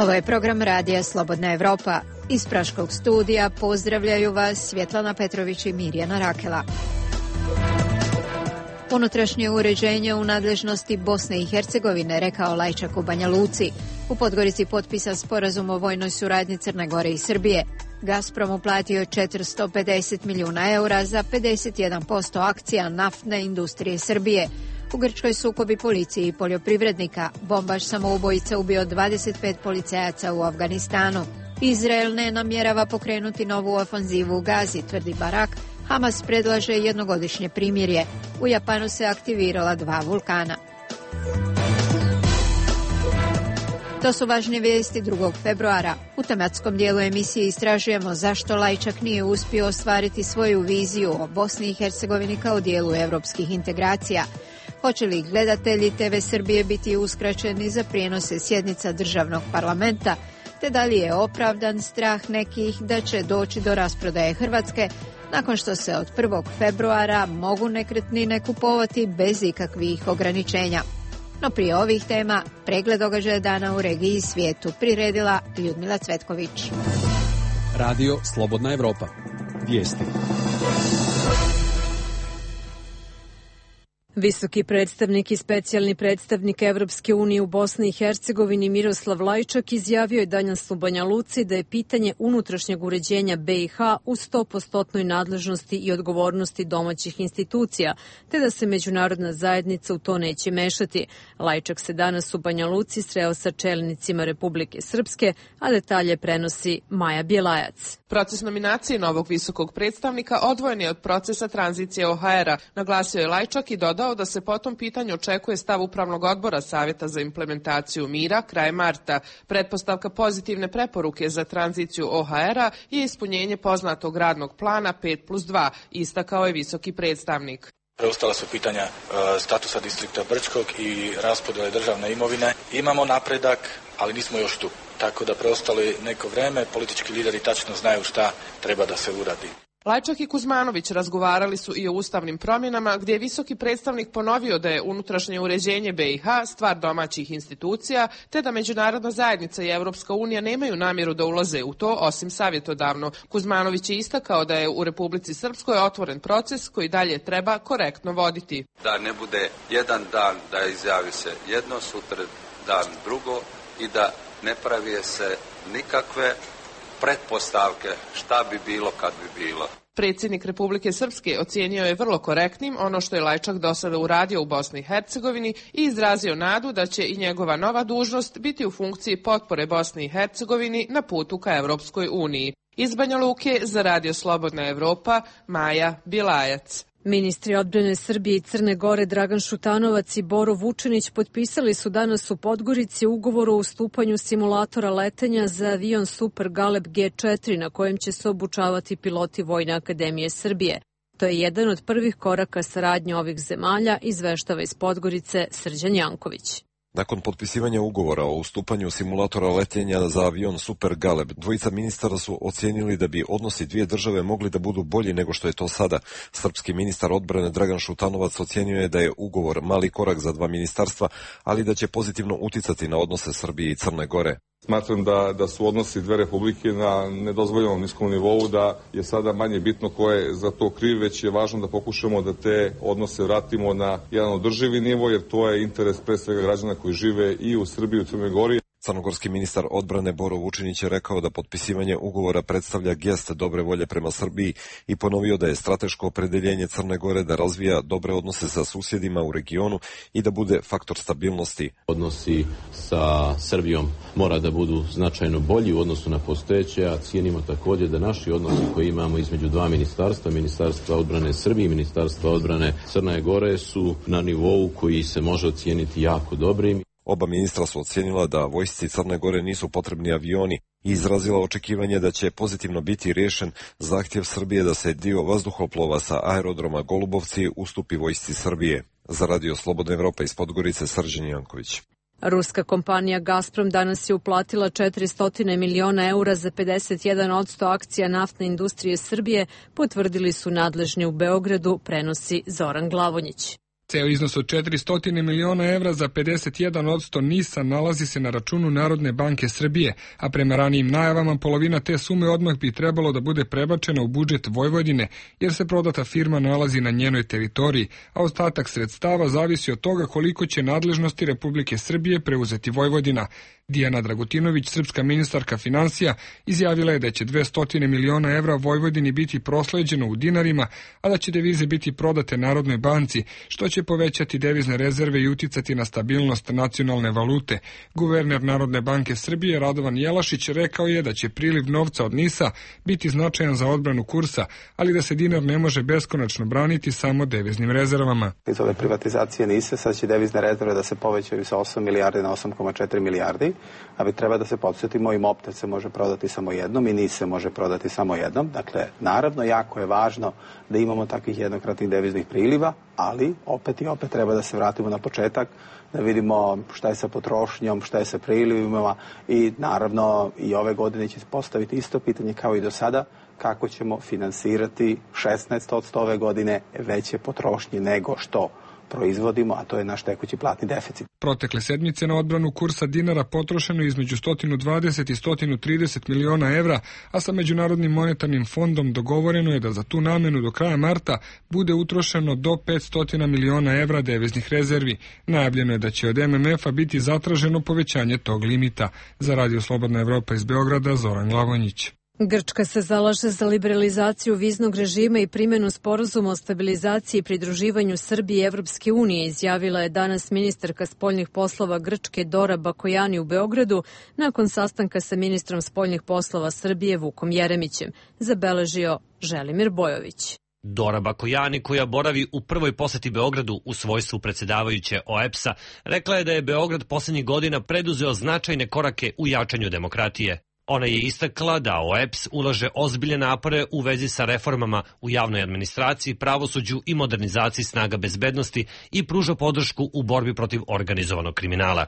Ovo je program Radija Slobodna Evropa. Iz Praškog studija pozdravljaju vas Svjetlana Petrović i Mirjana Rakela. Unutrašnje uređenje u nadležnosti Bosne i Hercegovine, rekao Lajčak u Banja Luci. U Podgorici potpisan sporazum o vojnoj suradnji Crne Gore i Srbije. Gazprom uplatio 450 milijuna eura za 51% akcija naftne industrije Srbije. U Grčkoj sukobi policije i poljoprivrednika. Bombaš samoubojica ubio 25 policajaca u Afganistanu. Izrael ne namjerava pokrenuti novu ofanzivu u Gazi, tvrdi Barak. Hamas predlaže jednogodišnje primirje. U Japanu se aktivirala 2 vulkana. To su važne vijesti 2. februara. U tematskom dijelu emisije istražujemo zašto Lajčak nije uspio ostvariti svoju viziju o Bosni i Hercegovini kao dijelu europskih integracija. Hoće li gledatelji TV Srbije biti uskraćeni za prijenose sjednica državnog parlamenta, te da li je opravdan strah nekih da će doći do rasprodaje Hrvatske nakon što se od 1. februara mogu nekretnine kupovati bez ikakvih ograničenja. No prije ovih tema, pregled događaja dana u regiji i svijetu priredila Ljudmila Cvetković. Radio Slobodna Evropa. Vijesti. Visoki predstavnik i specijalni predstavnik Evropske unije u Bosni i Hercegovini Miroslav Lajčak izjavio je danas u Banja Luci da je pitanje unutrašnjeg uređenja BiH u 100% nadležnosti i odgovornosti domaćih institucija, te da se međunarodna zajednica u to neće mešati. Lajčak se danas u Banja Luci sreo sa čelnicima Republike Srpske, a detalje prenosi Maja Bjelajac. Proces nominacije novog visokog predstavnika odvojen je od procesa tranzicije OHR-a, naglasio je Lajčak i dodao da se po tom pitanju očekuje stav Upravnog odbora Savjeta za implementaciju mira krajem marta. Pretpostavka pozitivne preporuke za tranziciju OHR-a je ispunjenje poznatog radnog plana 5+2, istakao je visoki predstavnik. Preostala su pitanja statusa distrikta Brčkog i raspodjele državne imovine. Imamo napredak, ali nismo još tu. Tako da preostalo je neko vreme, politički lideri tačno znaju šta treba da se uradi. Lajčak i Kuzmanović razgovarali su i o ustavnim promjenama, gdje je visoki predstavnik ponovio da je unutrašnje uređenje BiH stvar domaćih institucija, te da međunarodna zajednica i Evropska unija nemaju namjeru da ulaze u to, osim savjetodavno. Kuzmanović je istakao da je u Republici Srpskoj otvoren proces koji dalje treba korektno voditi. Da ne bude jedan dan da izjavi se jedno, sutra dan drugo i da ne pravi se nikakve pretpostavke šta bi bilo kad bi bilo. Predsjednik Republike Srpske ocijenio je vrlo korektnim ono što je Lajčak do sada uradio u Bosni i Hercegovini i izrazio nadu da će i njegova nova dužnost biti u funkciji potpore Bosni i Hercegovini na putu ka Evropskoj uniji. Iz Banja Luke za Radio Slobodna Evropa, Maja Bjelajac. Ministri odbrane Srbije i Crne Gore Dragan Šutanovac i Boro Vučinić potpisali su danas u Podgorici ugovor o ustupanju simulatora letenja za avion Super Galeb G4 na kojem će se obučavati piloti Vojne akademije Srbije. To je jedan od prvih koraka saradnje ovih zemalja, izveštava iz Podgorice Srđan Janković. Nakon potpisivanja ugovora o ustupanju simulatora letenja za avion Super Galeb, dvojica ministara su ocijenili da bi odnosi dvije države mogli da budu bolji nego što je to sada. Srpski ministar odbrane Dragan Šutanovac ocijenio je da je ugovor mali korak za dva ministarstva, ali da će pozitivno uticati na odnose Srbije i Crne Gore. Smatram da su odnosi dve republike na nedozvoljenom niskom nivou, da je sada manje bitno ko je za to kriv, već je važno da pokušamo da te odnose vratimo na jedan održivi nivo, jer to je interes pre svega građana koji žive i u Srbiji i u Crnoj Gori. Crnogorski ministar odbrane Boro Vučinić je rekao da potpisivanje ugovora predstavlja gest dobre volje prema Srbiji i ponovio da je strateško opredeljenje Crne Gore da razvija dobre odnose sa susjedima u regionu i da bude faktor stabilnosti. Odnosi sa Srbijom mora da budu značajno bolji u odnosu na postojeće, a cijenimo također da naši odnosi koji imamo između dva ministarstva, Ministarstva odbrane Srbije i Ministarstva odbrane Crne Gore, su na nivou koji se može ocijeniti jako dobrim. Oba ministra su ocijenila da vojsci Crne Gore nisu potrebni avioni i izrazila očekivanje da će pozitivno biti riješen zahtjev Srbije da se dio vazduhoplova sa aerodroma Golubovci ustupi vojsci Srbije. Za Radio Slobodna Evropa iz Podgorice, Srđan Janković. Ruska kompanija Gazprom danas je uplatila 400 miliona eura za 51% akcija naftne industrije Srbije, potvrdili su nadležni u Beogradu, prenosi Zoran Glavonjić. Ceo iznos od 400 miliona evra za 51% NIS-a nalazi se na računu Narodne banke Srbije, a prema ranijim najavama polovina te sume odmah bi trebalo da bude prebačena u budžet Vojvodine, jer se prodata firma nalazi na njenoj teritoriji, a ostatak sredstava zavisi od toga koliko će nadležnosti Republike Srbije preuzeti Vojvodina. Dijana Dragutinović, srpska ministarka finansija, izjavila je da će 200 miliona evra Vojvodini biti prosleđeno u dinarima, a da će devize biti prodate Narodnoj banci, što će povećati devizne rezerve i uticati na stabilnost nacionalne valute. Guverner Narodne banke Srbije Radovan Jelašić rekao je da će priliv novca od NIS-a biti značajan za odbranu kursa, ali da se dinar ne može beskonačno braniti samo deviznim rezervama. Iz ove privatizacije NIS-a sad će devizne rezerve da se povećaju sa 8 milijardi na 8,4 milijardi, ali treba da se podsjetimo i Mopter se može prodati samo jednom i NIS se može prodati samo jednom. Dakle, naravno, jako je važno da imamo takvih jednokratnih deviznih priliva, ali opet i opet treba da se vratimo na početak, da vidimo šta je sa potrošnjom, šta je sa prilivima i naravno i ove godine će se postaviti isto pitanje kao i do sada, kako ćemo finansirati 16% ove godine veće potrošnje nego što proizvodimo, a to je naš tekući platni deficit. Protekle sedmice na odbranu kursa dinara potrošeno između 120 i 130 miliona evra, a sa Međunarodnim monetarnim fondom dogovoreno je da za tu namenu do kraja marta bude utrošeno do 500 miliona evra deviznih rezervi. Najavljeno je da će od MMF-a biti zatraženo povećanje tog limita. Za Radio Slobodna Evropa iz Beograda, Zoran Glavonjić. Grčka se zalaže za liberalizaciju viznog režima i primjenu sporazuma o stabilizaciji i pridruživanju Srbije i Evropske unije, izjavila je danas ministarka spoljnih poslova Grčke Dora Bakojani u Beogradu nakon sastanka sa ministrom spoljnih poslova Srbije Vukom Jeremićem, zabeležio Želimir Bojović. Dora Bakojani, koja boravi u prvoj poseti Beogradu u svojstvu predsjedavajuće OEBS-a, rekla je da je Beograd posljednjih godina preduzeo značajne korake u jačanju demokratije. Ona je istakla da OEBS ulaže ozbiljne napore u vezi sa reformama u javnoj administraciji, pravosuđu i modernizaciji snaga bezbednosti i pruža podršku u borbi protiv organizovanog kriminala.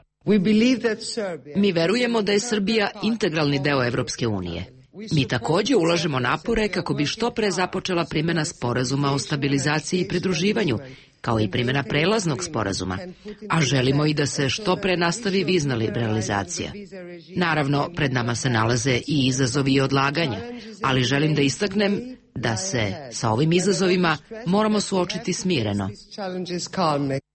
Mi verujemo da je Srbija integralni deo Evropske unije. Mi također ulažemo napore kako bi što pre započela primjena sporazuma o stabilizaciji i pridruživanju, kao i primjena prelaznog sporazuma, a želimo i da se što pre nastavi vizna liberalizacija. Naravno, pred nama se nalaze i izazovi i odlaganja, ali želim da istaknem da se sa ovim izazovima moramo suočiti smireno.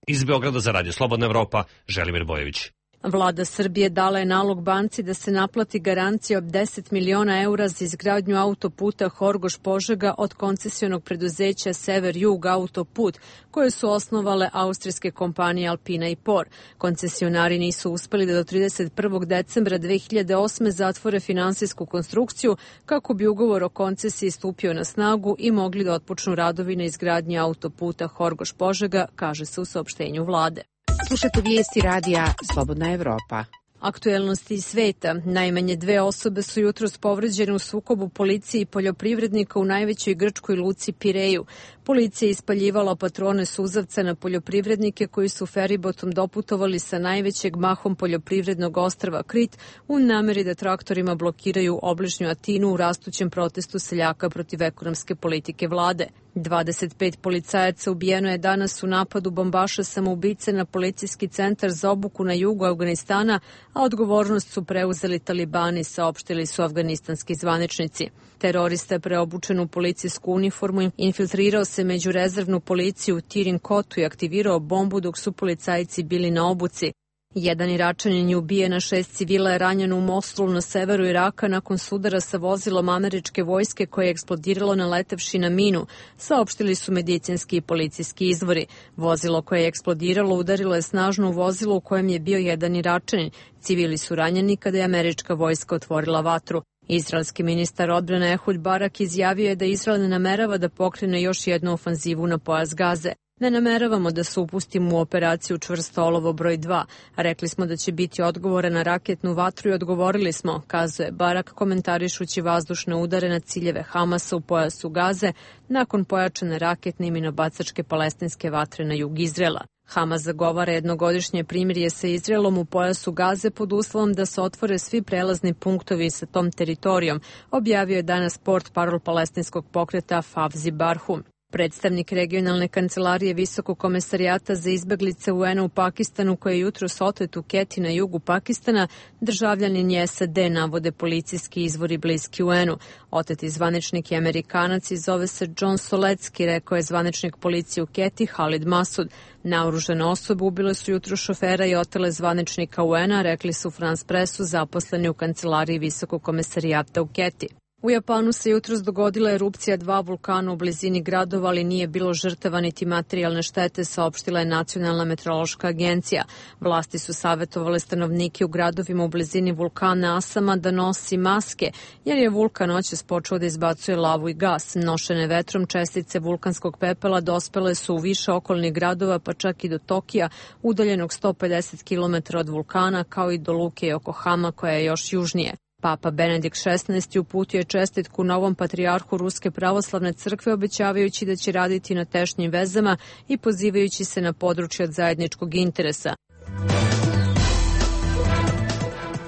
Iz Beograda za Radio Slobodna Evropa, Želimir Bojović. Vlada Srbije dala je nalog banci da se naplati garancija od 10 miliona eura za izgradnju autoputa Horgoš-Požega od koncesionog preduzeća Sever-Jug autoput, koje su osnovale austrijske kompanije Alpina i Por. Koncesionari nisu uspeli da do 31. decembra 2008. zatvore finansijsku konstrukciju kako bi ugovor o koncesiji stupio na snagu i mogli da otpočnu radovi na izgradnji autoputa Horgoš-Požega, kaže se u saopštenju vlade. Slušate vijesti radija Slobodna Evropa. Aktuelnosti iz sveta. Najmanje 2 osobe su jutros povređene u sukobu policije i poljoprivrednika u najvećoj grčkoj luci Pireju. Policija je ispaljivala patrone suzavca na poljoprivrednike koji su feribotom doputovali sa najvećeg mahom poljoprivrednog ostrva Krit u nameri da traktorima blokiraju obližnju Atinu u rastućem protestu seljaka protiv ekonomske politike vlade. 25 policajaca ubijeno je danas u napadu bombaša samoubice na policijski centar za obuku na jugu Afganistana, a odgovornost su preuzeli talibani, saopštili su afganistanski zvaničnici. Terorista je preobučen u policijsku uniformu, infiltrirao se među rezervnu policiju u Tirin Kotu i aktivirao bombu dok su policajci bili na obuci. Jedan Iračanin je ubijen, a 6 civila je ranjeno u Mosulu na severu Iraka nakon sudara sa vozilom američke vojske koje je eksplodiralo naletevši na minu, saopštili su medicinski i policijski izvori. Vozilo koje je eksplodiralo udarilo je snažno u vozilo u kojem je bio jedan Iračanin. Civili su ranjeni kada je američka vojska otvorila vatru. Izraelski ministar odbrane Ehud Barak izjavio je da Izrael ne namerava da pokrene još jednu ofanzivu na pojas Gaze. Ne nameravamo da se upustimo u operaciju Čvrsto olovo broj 2. Rekli smo da će biti odgovore na raketnu vatru i odgovorili smo, kazuje Barak komentarišući vazdušne udare na ciljeve Hamasa u pojasu Gaze nakon pojačane raketne i minobacačke palestinske vatre na jug Izraela. Hamas zagovara jednogodišnje primirje sa Izraelom u pojasu Gaze pod uslovom da se otvore svi prelazni punktovi sa tom teritorijom, objavio je danas portparol palestinskog pokreta Favzi Barhum. Predstavnik regionalne kancelarije Visokog komesarijata za izbeglice UN-a u Pakistanu, koji je jutros otet u Keti na jugu Pakistana, državljanin je SAD, navode policijski izvori bliski UN-u. Oteti zvaničnik je Amerikanac i zove se John Solecki, rekao je zvaničnik policije u Keti Halid Masud. Naoružane osobe ubile su jutro šofera i otele zvaničnika UN-a, rekli su France Pressu zaposleni u kancelariji Visokog komesarijata u Keti. U Japanu se jutros dogodila erupcija 2 vulkana u blizini gradova, ali nije bilo žrtava niti materijalne štete, saopštila je Nacionalna meteorološka agencija. Vlasti su savjetovale stanovnike u gradovima u blizini vulkana Asama da nosi maske, jer je vulkan noćas počeo da izbacuje lavu i gas. Nošene vetrom čestice vulkanskog pepela dospele su u više okolnih gradova, pa čak i do Tokija, udaljenog 150 km od vulkana, kao i do luke Yokohama, koja je još južnije. Papa Benedikt XVI uputio je čestitku novom patrijarhu Ruske pravoslavne crkve, obećavajući da će raditi na tešnjim vezama i pozivajući se na područje od zajedničkog interesa.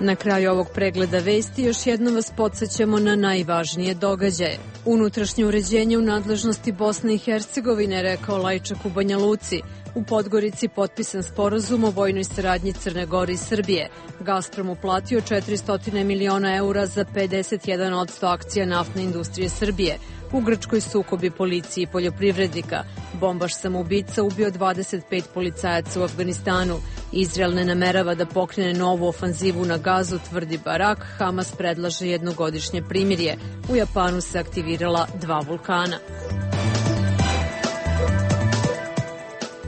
Na kraju ovog pregleda vesti još jednom vas podsjećamo na najvažnije događaje. Unutrašnje uređenje u nadležnosti Bosne i Hercegovine, rekao Lajčak u Banja Luci. U Podgorici potpisan sporazum o vojnoj saradnji Crne Gore i Srbije. Gazprom uplatio 400 miliona eura za 51% akcija naftne industrije Srbije. U Grčkoj sukobi policije i poljoprivrednika. Bombaš samoubica ubio 25 policajaca u Afganistanu. Izrael ne namerava da pokrene novu ofanzivu na Gazu, tvrdi Barak. Hamas predlaže jednogodišnje primirje. U Japanu se aktivirala 2 vulkana.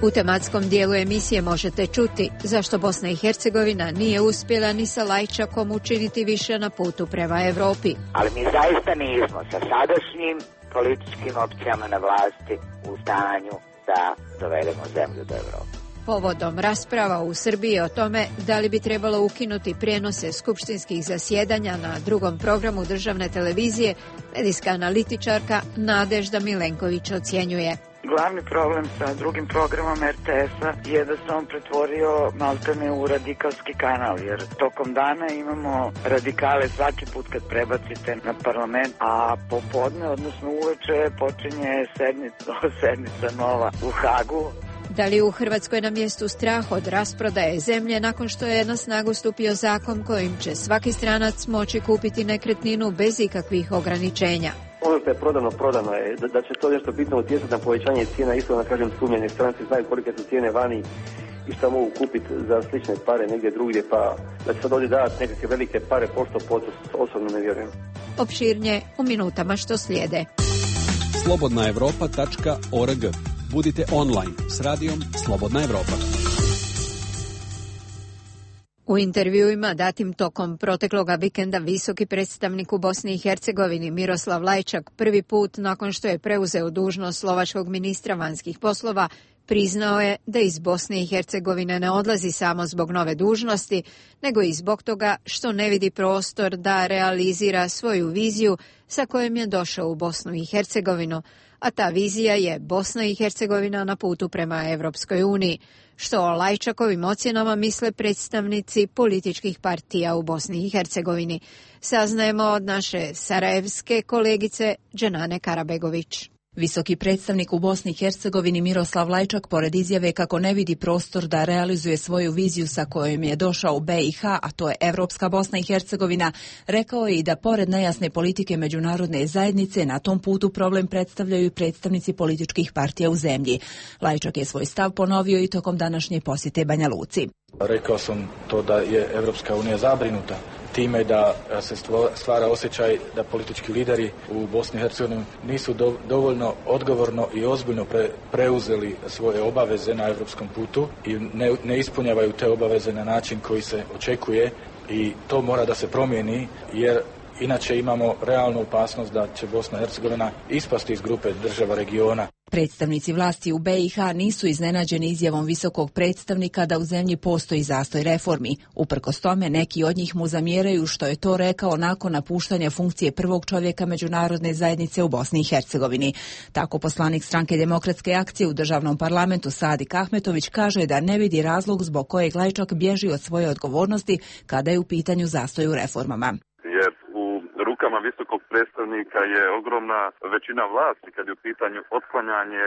U tematskom dijelu emisije možete čuti zašto Bosna i Hercegovina nije uspjela ni sa Lajčakom učiniti više na putu prema Evropi. Ali mi zaista nismo sa sadašnjim političkim opcijama na vlasti u stanju da dovedemo zemlju do Evrope. Povodom rasprava u Srbiji o tome da li bi trebalo ukinuti prijenose skupštinskih zasjedanja na drugom programu državne televizije, medijska analitičarka Nadežda Milenković ocjenjuje. Glavni problem sa drugim programom RTS-a je da se on pretvorio maltene u radikalski kanal, jer tokom dana imamo radikale svaki put kad prebacite na parlament, a popodne, odnosno uveče, počinje sednica nova u Hagu. Da li u Hrvatskoj na mjestu strah od rasprodaje zemlje nakon što je na snagu stupio zakon kojim će svaki stranac moći kupiti nekretninu bez ikakvih ograničenja? Ono što je prodano je da će to nešto bitno utjecati na povećanje cijena, isto da kažem sumnjeni stranci znaju kolike su cijene vani i što mogu kupiti za slične pare negdje drugdje, pa da će sad ovdje davati nekakve velike pare pošto osobno ne vjerujem. Opširnije u minutama što slijede. slobodnaevropa.org. Budite online s radijom Slobodna Evropa. U intervjuima datim tokom protekloga vikenda visoki predstavnik u Bosni i Hercegovini Miroslav Lajčak prvi put nakon što je preuzeo dužnost slovačkog ministra vanjskih poslova priznao je da iz Bosne i Hercegovine ne odlazi samo zbog nove dužnosti, nego i zbog toga što ne vidi prostor da realizira svoju viziju sa kojom je došao u Bosnu i Hercegovinu, a ta vizija je Bosna i Hercegovina na putu prema Evropskoj uniji, što o Lajčakovim ocjenama misle predstavnici političkih partija u Bosni i Hercegovini. Saznajemo od naše sarajevske kolegice Dženane Karabegović. Visoki predstavnik u Bosni i Hercegovini Miroslav Lajčak, pored izjave kako ne vidi prostor da realizuje svoju viziju sa kojom je došao u BiH, a to je Evropska Bosna i Hercegovina, rekao je i da pored nejasne politike međunarodne zajednice na tom putu problem predstavljaju predstavnici političkih partija u zemlji. Lajčak je svoj stav ponovio i tokom današnje posjete Banja Luci. Rekao sam to da je Evropska unija zabrinuta time da se stvara osjećaj da politički lideri u Bosni i Hercegovini nisu dovoljno odgovorno i ozbiljno preuzeli svoje obaveze na evropskom putu i ne ispunjavaju te obaveze na način koji se očekuje i to mora da se promijeni jer inače imamo realnu opasnost da će Bosna i Hercegovina ispasti iz grupe država regiona. Predstavnici vlasti u BiH nisu iznenađeni izjavom visokog predstavnika da u zemlji postoji zastoj reformi. Uprkos tome, neki od njih mu zamjeraju što je to rekao nakon napuštanja funkcije prvog čovjeka međunarodne zajednice u Bosni i Hercegovini. Tako poslanik stranke Demokratske akcije u državnom parlamentu Sadik Ahmetović kaže da ne vidi razlog zbog kojeg Lajčak bježi od svoje odgovornosti kada je u pitanju zastoj u reformama. Jer u rukama funkcijama visokog predstavnika je ogromna većina vlasti kad je u pitanju otklanjanje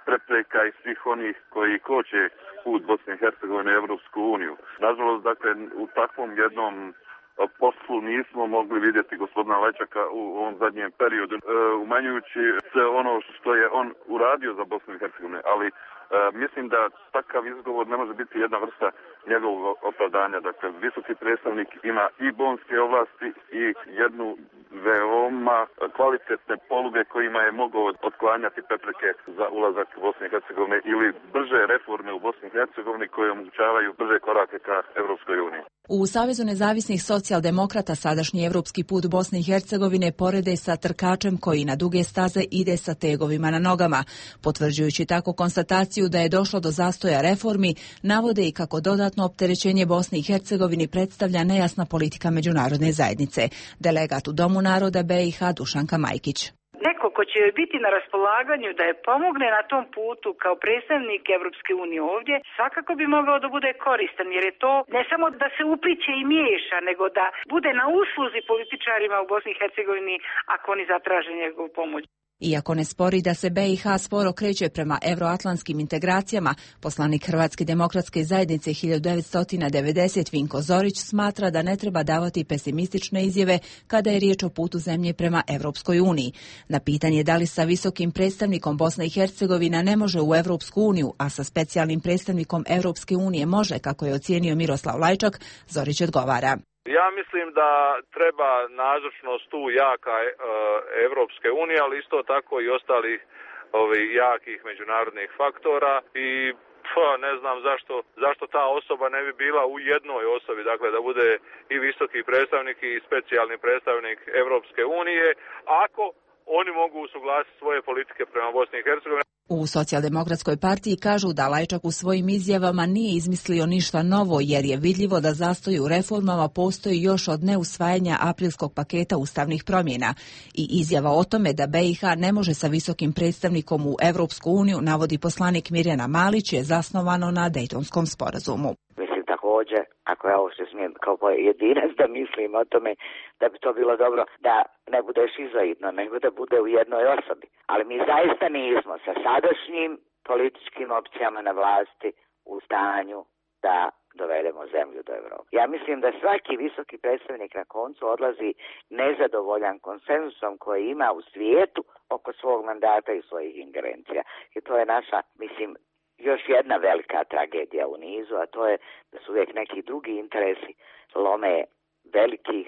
prepreka i svih onih koji koče put Bosne i Hercegovine u Evropsku uniju. Nažalost, dakle, u takvom jednom poslu nismo mogli vidjeti gospodina Lajčaka u ovom zadnjem periodu, umanjujući sve ono što je on uradio za Bosnu i Hercegovinu, ali mislim da takav izgovor ne može biti jedna vrsta njegovog opravdanja. Dakle, visoki predstavnik ima i bonske ovlasti i jednu veoma kvalitetne poluge kojima je mogao otklanjati prepreke za ulazak Bosne i Hercegovine ili brže reforme u Bosni i Hercegovini koje omogućavaju brže korake ka Evropskoj uniji. U Savezu nezavisnih socijaldemokrata sadašnji evropski put Bosne i Hercegovine porede sa trkačem koji na duge staze ide sa tegovima na nogama. Potvrđujući tako konstataciju da je došlo do zastoja reformi, navode i kako dodatno opterećenje Bosni i Hercegovini predstavlja nejasna politika međunarodne zajednice. Delegat u Domu naroda BiH Dušanka Majkić. Neko ko će joj biti na raspolaganju da je pomogne na tom putu kao predstavnik Evropske unije ovdje, svakako bi mogao da bude koristan, jer je to ne samo da se upliće i miješa, nego da bude na usluzi političarima u Bosni i Hercegovini ako oni zatraže njegovu pomoć. Iako ne spori da se BiH sporo kreće prema euroatlantskim integracijama, poslanik Hrvatske demokratske zajednice 1990 Vinko Zorić smatra da ne treba davati pesimistične izjave kada je riječ o putu zemlje prema Evropskoj uniji. Na pitanje da li sa visokim predstavnikom Bosna i Hercegovina ne može u Evropsku uniju, a sa specijalnim predstavnikom Evropske unije može, kako je ocijenio Miroslav Lajčak, Zorić odgovara. Ja mislim da treba nazočnost tu jaka Evropske unije, ali isto tako i ostalih jakih međunarodnih faktora i ne znam zašto ta osoba ne bi bila u jednoj osobi, dakle da bude i visoki predstavnik i specijalni predstavnik Evropske unije, ako oni mogu usuglasiti svoje politike prema Bosni i Hercegovini. U Socijaldemokratskoj partiji kažu da Lajčak u svojim izjavama nije izmislio ništa novo, jer je vidljivo da zastoj u reformama postoji još od neusvajanja aprilskog paketa ustavnih promjena. I izjava o tome da BiH ne može sa visokim predstavnikom u Evropsku uniju, navodi poslanik Mirjana Malić, je zasnovano na Dejtonskom sporazumu. Mislim također, ako ja ovo što smijem kao pojedinac da mislim o tome, da bi to bilo dobro da ne bude šizoidno, nego da bude u jednoj osobi. Ali mi zaista nismo sa sadašnjim političkim opcijama na vlasti u stanju da dovedemo zemlju do Evrope. Ja mislim da svaki visoki predstavnik na koncu odlazi nezadovoljan konsenzusom koji ima u svijetu oko svog mandata i svojih ingerencija. I to je naša, mislim, još jedna velika tragedija u nizu, a to je da su uvijek neki drugi interesi lome velikih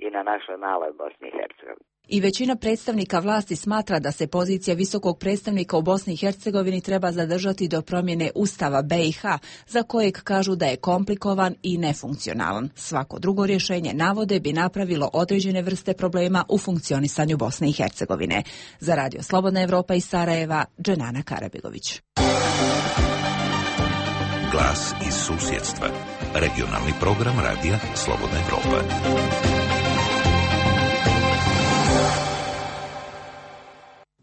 i na našoj maloj Bosni i Hercegovini. I većina predstavnika vlasti smatra da se pozicija visokog predstavnika u Bosni i Hercegovini treba zadržati do promjene Ustava BiH, za kojeg kažu da je komplikovan i nefunkcionalan. Svako drugo rješenje, navode, bi napravilo određene vrste problema u funkcionisanju Bosne i Hercegovine. Za Radio Slobodna Evropa iz Sarajeva, Dženana Karabegović. Glas iz susjedstva. Regionalni program Radija Slobodna Evropa.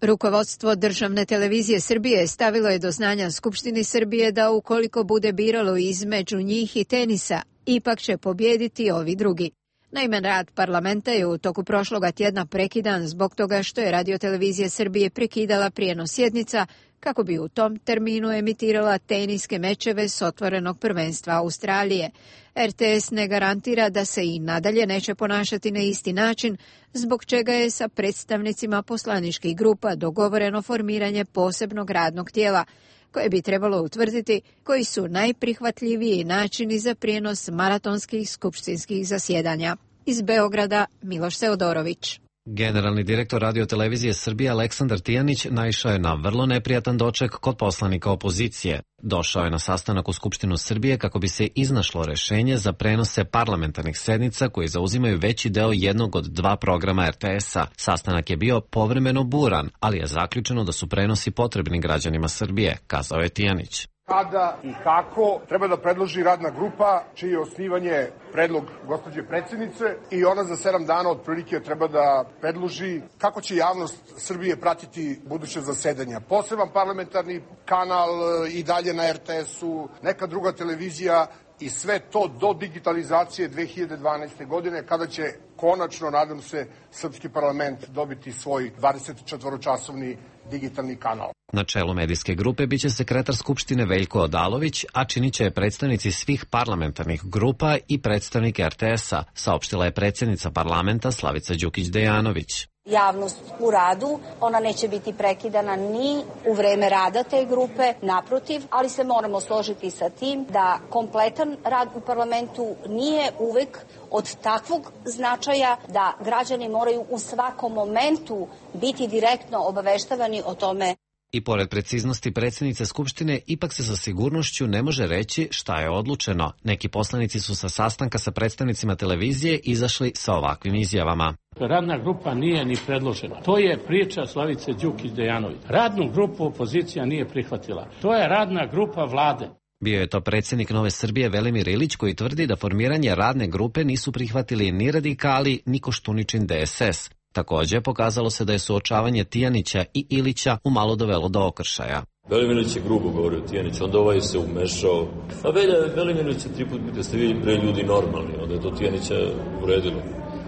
Rukovodstvo Državne televizije Srbije stavilo je do znanja Skupštini Srbije da ukoliko bude biralo između njih i tenisa, ipak će pobijediti ovi drugi. Naime, rad parlamenta je u toku prošloga tjedna prekidan zbog toga što je Radiotelevizija Srbije prekidala prijenos sjednica kako bi u tom terminu emitirala teniske mečeve s otvorenog prvenstva Australije. RTS ne garantira da se i nadalje neće ponašati na isti način, zbog čega je sa predstavnicima poslaničkih grupa dogovoreno formiranje posebnog radnog tijela, koje bi trebalo utvrditi koji su najprihvatljiviji načini za prijenos maratonskih skupštinskih zasjedanja. Iz Beograda, Miloš Seodorović. Generalni direktor Radiotelevizije Srbije Aleksandar Tijanić naišao je na vrlo neprijatan doček kod poslanika opozicije. Došao je na sastanak u Skupštinu Srbije kako bi se iznašlo rešenje za prenose parlamentarnih sednica koji zauzimaju veći deo jednog od dva programa RTS-a. Sastanak je bio povremeno buran, ali je zaključeno da su prenosi potrebni građanima Srbije, kazao je Tijanić. Kada i kako treba da predloži radna grupa, čije je osnivanje predlog gospođe predsjednice, i ona za 7 dana otprilike treba da predloži kako će javnost Srbije pratiti buduće zasedanja. Poseban parlamentarni kanal i dalje na RTS-u, neka druga televizija i sve to do digitalizacije 2012. godine, kada će konačno, nadam se, srpski parlament dobiti svoj 24-časovni digitalni kanal. Na čelu medijske grupe biće sekretar Skupštine Veljko Odalović, a činit će je predstavnici svih parlamentarnih grupa i predstavnik RTS-a, saopštila je predsjednica parlamenta Slavica Đukić-Dejanović. Javnost u radu, ona neće biti prekidana ni u vreme rada te grupe, naprotiv, ali se moramo složiti sa tim da kompletan rad u parlamentu nije uvek od takvog značaja da građani moraju u svakom momentu biti direktno obaveštavani o tome. I pored preciznosti predsjednice Skupštine, ipak se sa sigurnošću ne može reći šta je odlučeno. Neki poslanici su sa sastanka sa predstavnicima televizije izašli sa ovakvim izjavama. Radna grupa nije ni predložena. To je priča Slavice Đukić-Dejanović. Radnu grupu opozicija nije prihvatila. To je radna grupa vlade. Bio je to predsjednik Nove Srbije Velimir Ilić koji tvrdi da formiranje radne grupe nisu prihvatili ni radikali, ni Koštuničin DSS. Također, pokazalo se da je suočavanje Tijanića i Ilića umalo dovelo do okršaja. Velimirić je grubo govorio Tijanić, onda ovaj se umešao. A Velimirić je 3 put da ste vi bre ljudi normalni, onda je to Tijanića uredilo.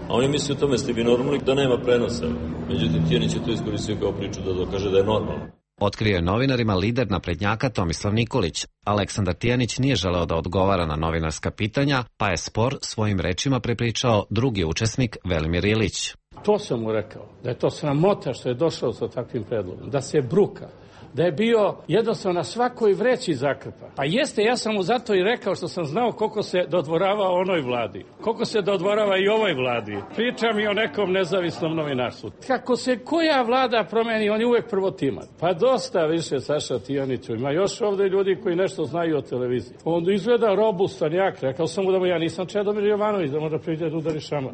A on je mislio o tome ste vi normalni da nema prenosa. Međutim, Tijanić je to iskoristio kao priču da dokaže da je normalno. Otkrio je novinarima lider naprednjaka Tomislav Nikolić. Aleksandar Tijanić nije želeo da odgovara na novinarska pitanja, pa je spor svojim rečima prepričao drugi učesnik Velimir Ilić. To sam mu rekao, da je to sramota što je došao sa takvim predlogom, da se bruka, da je bio jednostavno na svakoj vreći zakrpa. Pa jeste, ja sam mu zato i rekao što sam znao koliko se dodvorava onoj vladi, koliko se dodvorava i ovoj vladi. Pričam i o nekom nezavisnom novinarstvu. Kako se koja vlada promeni, on je uvek prvotiman. Pa dosta više Saša Tijaniću. Ima još ovdje ljudi koji nešto znaju o televiziji. On izgleda robustan jak. Rekao sam mu da mu ja nisam Čedomir Jovanović, da možda priđe da udari šamar.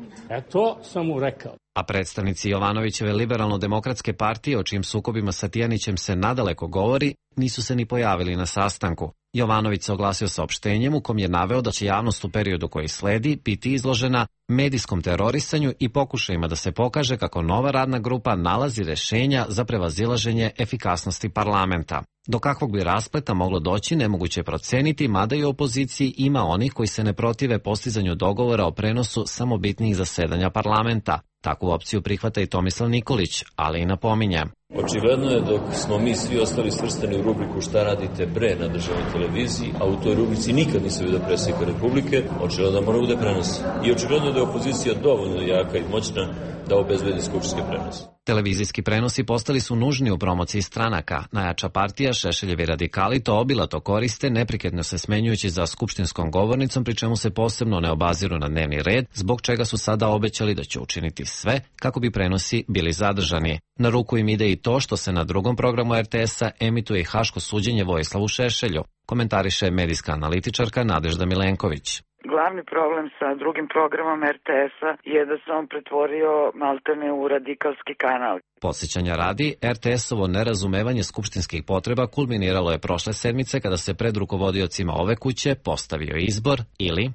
To sam mu rekao. A predstavnici Jovanovićeve liberalno-demokratske partije, o čijim sukobima sa Tijanićem se nadaleko govori, nisu se ni pojavili na sastanku. Jovanović se oglasio saopštenjem u kom je naveo da će javnost u periodu koji sledi biti izložena medijskom terorisanju i pokušajima da se pokaže kako nova radna grupa nalazi rešenja za prevazilaženje efikasnosti parlamenta. Do kakvog bi raspleta moglo doći nemoguće je proceniti, mada i u opoziciji ima onih koji se ne protive postizanju dogovora o prenosu samo bitnijih zasedanja parlamenta. Takvu opciju prihvata i Tomislav Nikolić, ali i napominje. Očigledno je dok smo mi svi ostali svrstani u rubriku šta radite bre na državnoj televiziji, a u toj rubrici nikad nisam vidio predsjednika Republike, očigledno da mora bude prenos. I očigledno je da je opozicija dovoljno jaka i moćna da obezbedi skupštinski prenos. Televizijski prenosi postali su nužni u promociji stranaka. Najjača partija, Šešeljevi radikali, to obilato koriste, neprekidno se smenjujući za skupštinskom govornicom, pri čemu se posebno ne obaziru na dnevni red, zbog čega su sada obećali da će učiniti sve kako bi prenosi bili zadržani. Na ruku im ide i to što se na drugom programu RTS-a emituje i haško suđenje Vojislavu Šešelju, komentariše medijska analitičarka Nadežda Milenković. Glavni problem sa drugim programom RTS-a je da se on pretvorio maltene u radikalski kanal. Podsjećanja radi, RTS-ovo nerazumevanje skupštinskih potreba kulminiralo je prošle sedmice kada se pred rukovodiocima ove kuće postavio izbor ili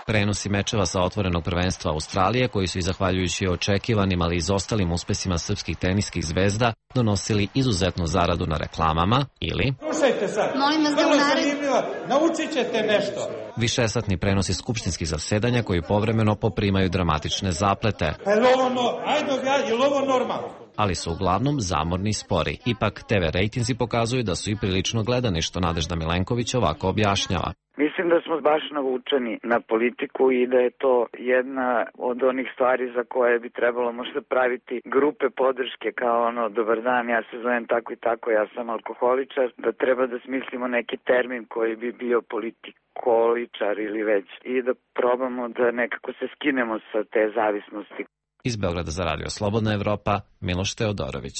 prenosi mečeva sa otvorenog prvenstva Australije, koji su i zahvaljujući očekivanim, ali izostalim uspesima srpskih teniskih zvezda donosili izuzetnu zaradu na reklamama, ili slušajte sad, vrlo zanimljivo, naučit ćete nešto. Višesatni prenosi skupštinskih zasedanja koji povremeno poprimaju dramatične zaplete. Je li ovo normalno? Ali su uglavnom zamorni i spori. Ipak TV rejtinzi pokazuju da su i prilično gledani, što Nadežda Milenković ovako objašnjava. Mislim da smo baš navučeni na politiku i da je to jedna od onih stvari za koje bi trebalo možda praviti grupe podrške kao ono, dobar dan, ja se zovem tako i tako, ja sam alkoholičar, da treba da smislimo neki termin koji bi bio politikoličar ili već i da probamo da nekako se skinemo sa te zavisnosti. Iz Beograda za Radio Slobodna Evropa, Miloš Teodorović.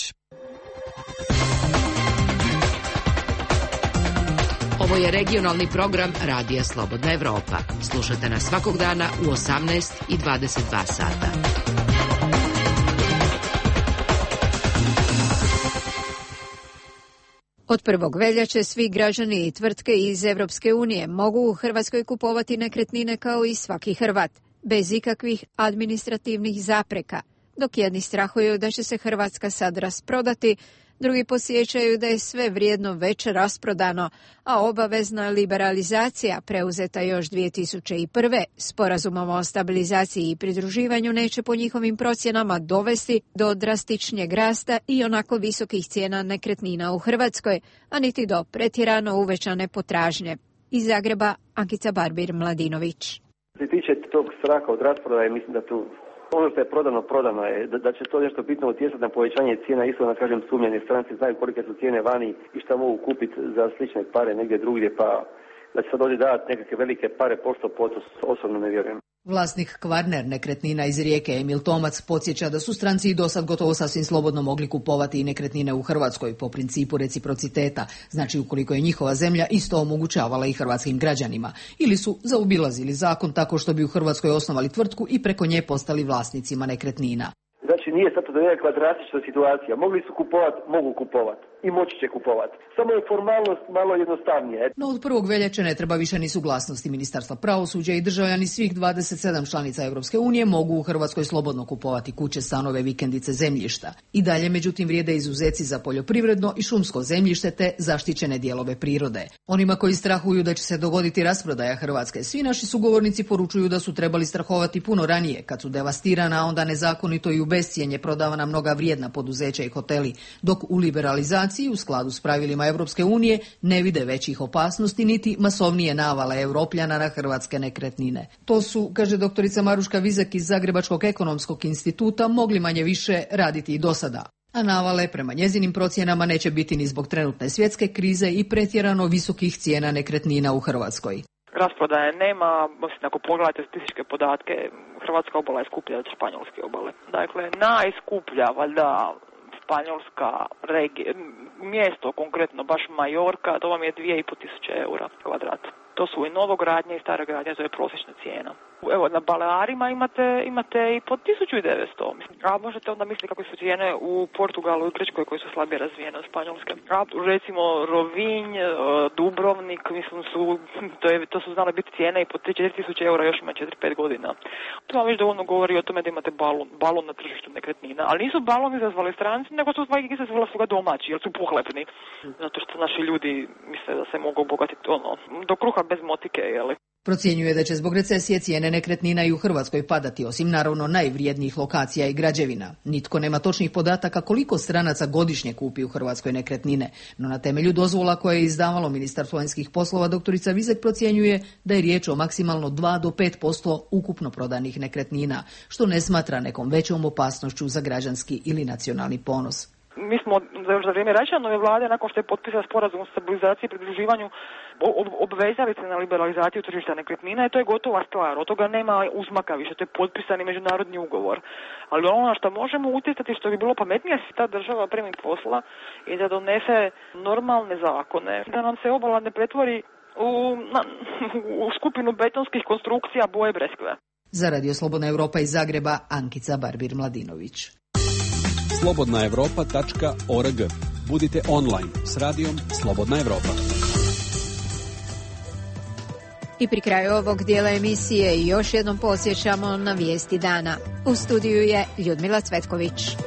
Ovo je regionalni program Radija Slobodna Evropa. Slušajte nas svakog dana u 18 i 22 sata. Od 1. veljače svi građani i tvrtke iz Evropske unije mogu u Hrvatskoj kupovati nekretnine kao i svaki Hrvat, bez ikakvih administrativnih zapreka, dok jedni strahuju da će se Hrvatska sad rasprodati, Drugi podsjećaju da je sve vrijedno već rasprodano, a obavezna liberalizacija preuzeta još 2001. sporazumom o stabilizaciji i pridruživanju neće po njihovim procjenama dovesti do drastičnijeg rasta i onako visokih cijena nekretnina u Hrvatskoj, a niti do pretjerano uvećane potražnje. Iz Zagreba, Ankica Barbir-Mladinović. Što se tiče tog straha od rasprodaje, mislim da tu ono što je prodano je da će to nešto bitno utjecati na povećanje cijena, isto da kažem sumnjeni stranci znaju kolike su cijene vani i šta mogu kupiti za slične pare negdje drugdje, pa da će sad ovdje davati nekakve velike pare pošto osobno ne vjerujem. Vlasnik Kvarner nekretnina iz Rijeke Emil Tomac podsjeća da su stranci i dosad gotovo sasvim slobodno mogli kupovati i nekretnine u Hrvatskoj po principu reciprociteta, znači ukoliko je njihova zemlja isto omogućavala i hrvatskim građanima, ili su zaobilazili zakon tako što bi u Hrvatskoj osnovali tvrtku i preko nje postali vlasnicima nekretnina. Znači nije sad to nekakva drastična situacija. Mogli su kupovati, mogu kupovati i moći će kupovati. Samo je formalnost malo jednostavnije. No od 1. veljače ne treba više ni suglasnosti Ministarstva pravosuđa i državljani svih 27 članica Europske unije mogu u Hrvatskoj slobodno kupovati kuće, stanove, vikendice, zemljišta. I dalje međutim vrijede izuzeci za poljoprivredno i šumsko zemljište te zaštićene dijelove prirode. Onima koji strahuju da će se dogoditi rasprodaja Hrvatske, svi naši sugovornici poručuju da su trebali strahovati puno ranije, kad su devastirana, onda nezakonito i u bescijenje prodavana mnoga vrijedna poduzeća i hoteli, dok u liberalizaciji u skladu s pravilima Europske unije ne vide većih opasnosti niti masovnije navale Europljana na hrvatske nekretnine. To su, kaže doktorica Maruška Vizek iz Zagrebačkog ekonomskog instituta, mogli manje više raditi i do sada. A navale prema njezinim procjenama neće biti ni zbog trenutne svjetske krize i pretjerano visokih cijena nekretnina u Hrvatskoj. Rasprodaje nema, ako pogledate statističke podatke, hrvatska obala je skuplja od španjolske obale. Dakle, najskuplja, valjda, španjolska regija, mjesto konkretno, baš Majorka, to vam je 2.500 eura kvadrat. To su i novogradnje i stare gradnje, to je prosječna cijena. Evo, na Balearima imate i po 1.900. A možete onda misliti kakve su cijene u Portugalu i Grčkoj koji su slabije razvijene od Španjolske. A recimo Rovinj, Dubrovnik, mislim to su znale biti cijene i po 3-4 tisuće eura još ima 4-5 godina. To vam već dovoljno govori o tome da imate balon na tržištu nekretnina. Ali nisu balon izazvali stranci, nego su izazvali su ga domaći, jer su pohlepni. Zato što naši ljudi misle da se mogu obogatiti do kruha bez motike, jeli. Procjenjuje da će zbog recesije cijene nekretnina i u Hrvatskoj padati, osim naravno najvrijednijih lokacija i građevina. Nitko nema točnih podataka koliko stranaca godišnje kupi u Hrvatskoj nekretnine, no na temelju dozvola koje je izdavalo Ministarstvo vanjskih poslova doktorica Vizek procjenjuje da je riječ o maksimalno 2 do 5% ukupno prodanih nekretnina, što ne smatra nekom većom opasnošću za građanski ili nacionalni ponos. Mi smo za vrijeme Račanove vlade, nakon što je potpisan sporazum o stabilizaciji i pridruživanju, obvezali se na liberalizaciju tržišta nekretnina i to je gotova stvar. Od toga nema uzmaka više, to je potpisani međunarodni ugovor. Ali ono što možemo utjecati, što bi bilo pametnije, se ta država primi posla i da donese normalne zakone, da nam se obala ne pretvori u skupinu betonskih konstrukcija boje breskve. Za Radio Slobodna Europa iz Zagreba, Ankica Barbir-Mladinović. slobodnaevropa.org. Budite online s radijom Slobodna Evropa. I pri kraju ovog dijela emisije još jednom podsjećamo na vijesti dana. U studiju je Ljudmila Cvetković.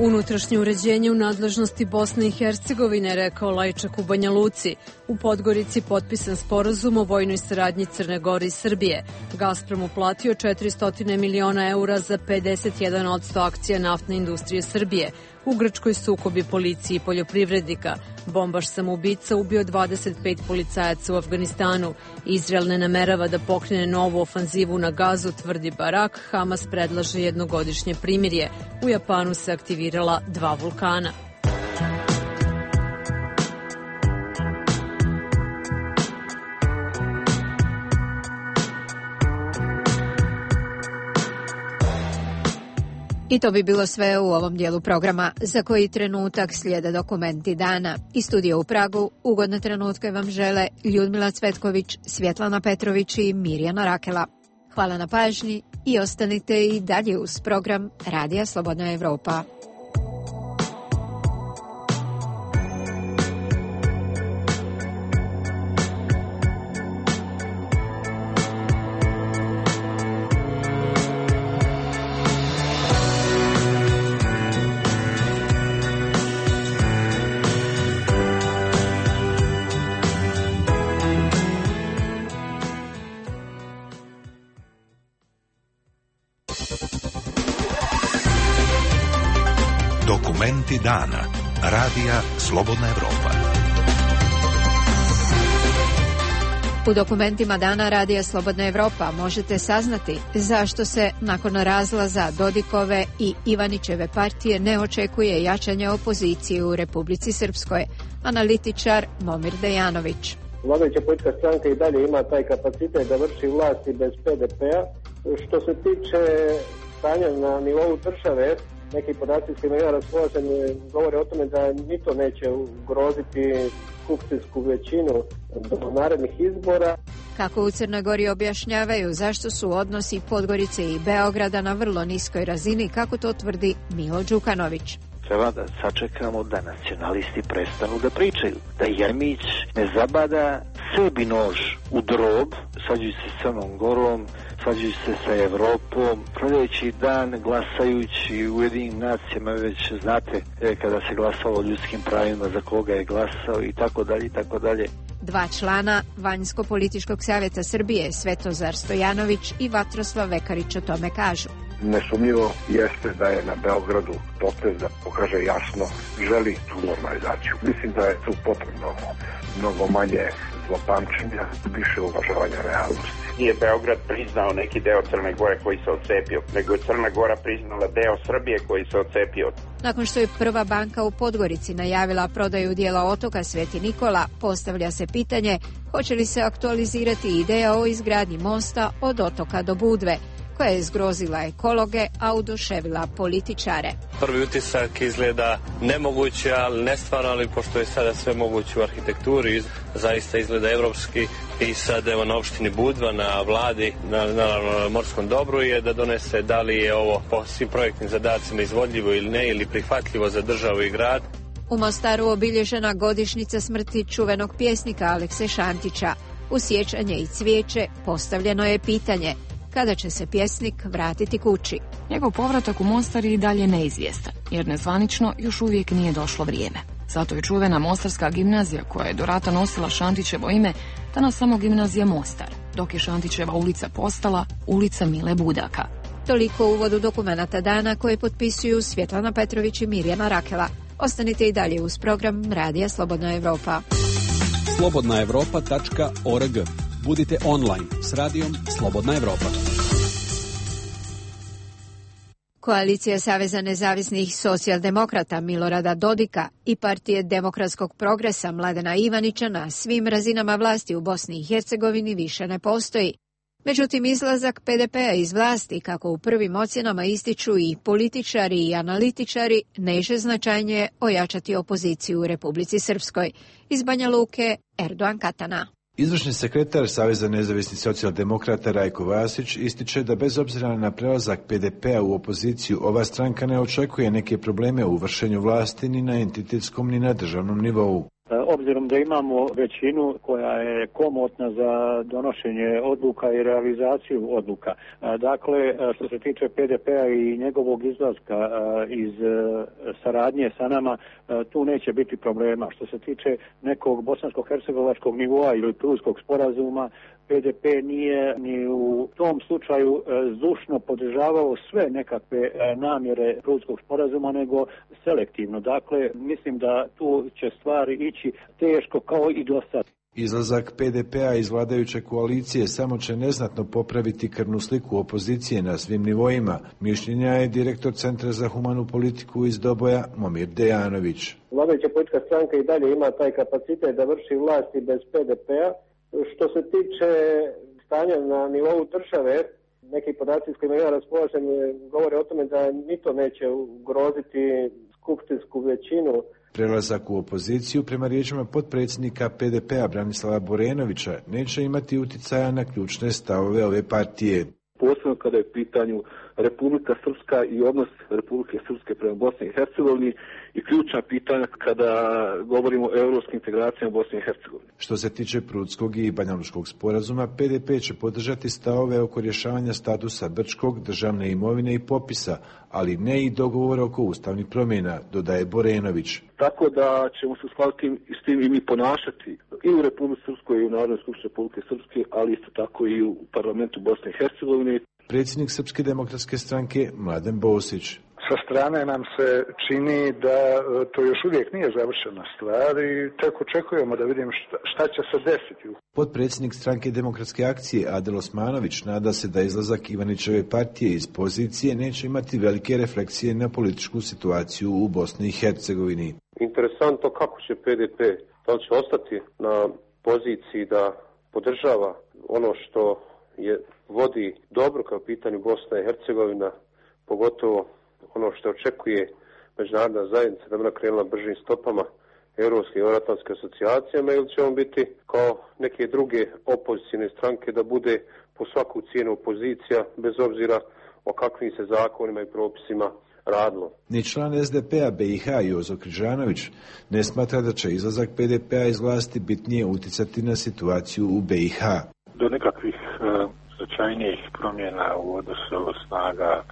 Unutrašnje uređenje u nadležnosti Bosne i Hercegovine, rekao Lajčak u Banja Luci. U Podgorici potpisan sporazum o vojnoj saradnji Crne Gore i Srbije. Gazprom uplatio 400 miliona eura za 51% akcija naftne industrije Srbije. U Grčkoj sukobi policije i poljoprivrednika. Bombaš samoubica ubio 25 policajaca u Afganistanu. Izrael ne namerava da pokrene novu ofanzivu na Gazu, tvrdi Barak. Hamas predlaže jednogodišnje primirje. U Japanu se aktivirala 2 vulkana. I to bi bilo sve u ovom dijelu programa. Za koji trenutak slijede dokumenti dana. I studio u Pragu ugodne trenutke vam žele Ljudmila Cvetković, Svjetlana Petrović i Mirjana Rakela. Hvala na pažnji i ostanite i dalje uz program Radija Slobodna Evropa. Dokumenti dana. Radija Slobodna Evropa. U dokumentima dana Radija Slobodna Evropa možete saznati zašto se nakon razlaza Dodikove i Ivanićeve partije ne očekuje jačanje opozicije u Republici Srpskoj. Analitičar Momir Dejanović. Vladajuća politička stranka i dalje ima taj kapacitet da vrši vlasti bez PDP-a. Što se tiče stanja na nivou države, neki podaci s kojima ja raspolažem govore o tome da ni to neće ugroziti skupštinsku većinu do narednih izbora. Kako u Crnoj Gori objašnjavaju zašto su odnosi Podgorice i Beograda na vrlo niskoj razini, kako to tvrdi Milo Đukanović. Treba da sačekamo da nacionalisti prestanu da pričaju, da Jeremić ne zabada sebi nož u drob, svađajući se s Crnom Gorom, svađajući se sa Evropom, sljedeći dan glasajući u Ujedinjenim nacijama, već znate kada se glasalo o ljudskim pravima za koga je glasao i tako dalje i tako dalje. Dva člana Vanjsko-političkog savjeta Srbije, Svetozar Stojanović i Vatroslav Vekarić, o tome kažu. Nesumnjivo jeste da je na Beogradu potez da pokaže jasno želi tu normalizaciju. Mislim da je tu potrebno mnogo manje zlopamćenja, više uvažavanja realnosti. Nije Beograd priznao neki deo Crne Gore koji se odcepio, nego je Crna Gora priznala deo Srbije koji se odcepio. Nakon što je Prva banka u Podgorici najavila prodaju dijela otoka Sveti Nikola, postavlja se pitanje hoće li se aktualizirati ideja o izgradnji mosta od otoka do Budve, koja je zgrozila ekologe, a oduševila političare. Prvi utisak izgleda nemoguće, ali nestvarno, ali pošto je sada sve moguće u arhitekturi, zaista izgleda evropski i sad evo na opštini Budva, na vladi, naravno na morskom dobru je da donese da li je ovo po svim projektnim zadacima izvodljivo ili ne, ili prihvatljivo za državu i grad. U Mostaru obilježena godišnjica smrti čuvenog pjesnika Alekse Šantića. U sjećanje i cvijeće postavljeno je pitanje kada će se pjesnik vratiti kući. Njegov povratak u Mostar je i dalje neizvjestan, jer nezvanično još uvijek nije došlo vrijeme. Zato je čuvena Mostarska gimnazija, koja je do rata nosila Šantićevo ime, danas samo gimnazija Mostar, dok je Šantićeva ulica postala ulica Mile Budaka. Toliko u uvodu dokumenata dana koje potpisuju Svjetlana Petrović i Mirjana Rakela. Ostanite i dalje uz program Radija Slobodna Evropa. slobodnaevropa.org. Budite online s radijom Slobodna Evropa. Koalicija Saveza nezavisnih socijaldemokrata Milorada Dodika i Partije demokratskog progresa Mladena Ivanića na svim razinama vlasti u Bosni i Hercegovini više ne postoji. Međutim, izlazak PDP-a iz vlasti, kako u prvim ocjenama ističu i političari i analitičari, neće značajnije ojačati opoziciju u Republici Srpskoj. Iz Banja Luke, Erdogan Katana. Izvršni sekretar Saveza nezavisnih socijaldemokrata Rajko Vasić ističe da bez obzira na prelazak PDP-a u opoziciju, ova stranka ne očekuje neke probleme u vršenju vlasti ni na entitetskom ni na državnom nivou. Obzirom da imamo većinu koja je komotna za donošenje odluka i realizaciju odluka. Dakle, što se tiče PDP-a i njegovog izlaska iz saradnje sa nama, tu neće biti problema. Što se tiče nekog bosansko-hercegovačkog nivoa ili prulskog sporazuma, PDP nije ni u tom slučaju zdušno podržavao sve nekakve namjere prulskog sporazuma, nego selektivno. Dakle, mislim da tu će stvari ići teško kao i do sad. Izlazak PDP-a iz vladajuće koalicije samo će neznatno popraviti krvnu sliku opozicije na svim nivoima. Mišljenja je direktor Centra za humanu politiku iz Doboja Momir Dejanović. Vladajuća politička stranka i dalje ima taj kapacitet da vrši vlasti bez PDP-a. Što se tiče stanja na nivou države, neki podaci s kojima ja raspolažem govore o tome da ni to neće ugroziti skupštinsku većinu. Prelazak u opoziciju, prema riječima potpredsjednika PDP-a Branislava Borenovića, neće imati uticaja na ključne stavove ove partije. Posebno kada je u pitanju Republika Srpska i odnos Republike Srpske prema Bosni i Hercegovini i ključna pitanja kada govorimo o europskim integracijama u Bosni i Hercegovini. Što se tiče Prudskog i Banjalučkog sporazuma, PDP će podržati stavove oko rješavanja statusa Brčkog, državne imovine i popisa, ali ne i dogovor oko ustavnih promjena, dodaje Borenović. Tako da ćemo se uskladiti s tim i mi ponašati i u Republici Srpskoj i u Narodnoj skupštini Republike Srpske, ali isto tako i u parlamentu Bosne i Hercegovine. Predsjednik Srpske demokratske stranke Mladen Bosić. Sa strane nam se čini da to još uvijek nije završena stvar i tek očekujemo da vidimo šta će se desiti. Potpredsjednik stranke Demokratske akcije Adel Osmanović nada se da izlazak Ivanićeve partije iz pozicije neće imati velike refleksije na političku situaciju u Bosni i Hercegovini. Interesantno kako će PDP, da li će ostati na poziciji da podržava ono što je vodi dobro kao pitanju Bosna i Hercegovina, pogotovo ono što očekuje međunarodna zajednica da bi nakrenula bržim stopama Europske i Euroatlantske asocijacijama, ili će on biti kao neke druge opozicijne stranke da bude po svaku cijenu opozicija bez obzira o kakvim se zakonima i propisima radilo. Ni član SDP-a BiH Jozo Križanović ne smatra da će izlazak PDP-a iz vlasti bitnije uticati na situaciju u BiH. Do nekakvih značajnijih promjena u odnosu snaga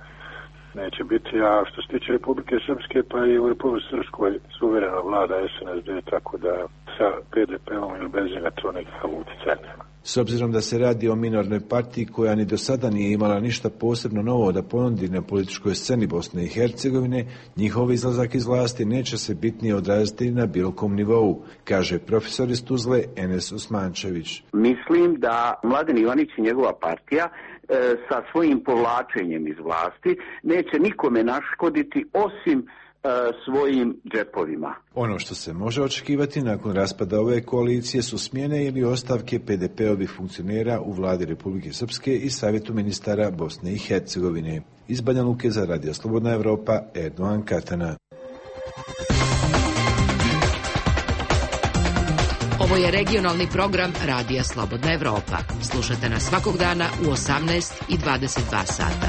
neće biti, a što se tiče Republike Srpske, pa i u Republike Srpskoj suverena vlada SNSD, tako da sa PDP-om ili bez njega to nekakav utjecaj nema. S obzirom da se radi o minornoj partiji koja ni do sada nije imala ništa posebno novo da ponudi na političkoj sceni Bosne i Hercegovine, njihov izlazak iz vlasti neće se bitnije odraziti na bilo kom nivou, kaže profesor iz Tuzle Enes Usmančević. Mislim da Mladen Ivanić i njegova partija sa svojim povlačenjem iz vlasti neće nikome naškoditi osim svojim džepovima. Ono što se može očekivati nakon raspada ove koalicije su smjene ili ostavke PDP-ovih funkcionera u vladi Republike Srpske i Savjetu ministara Bosne i Hercegovine. Iz Banja Luke za Radio Slobodna Evropa, Erdogan Katana. Ovo je regionalni program Radija Slobodna Evropa. Slušajte nas svakog dana u 18 i 22 sata.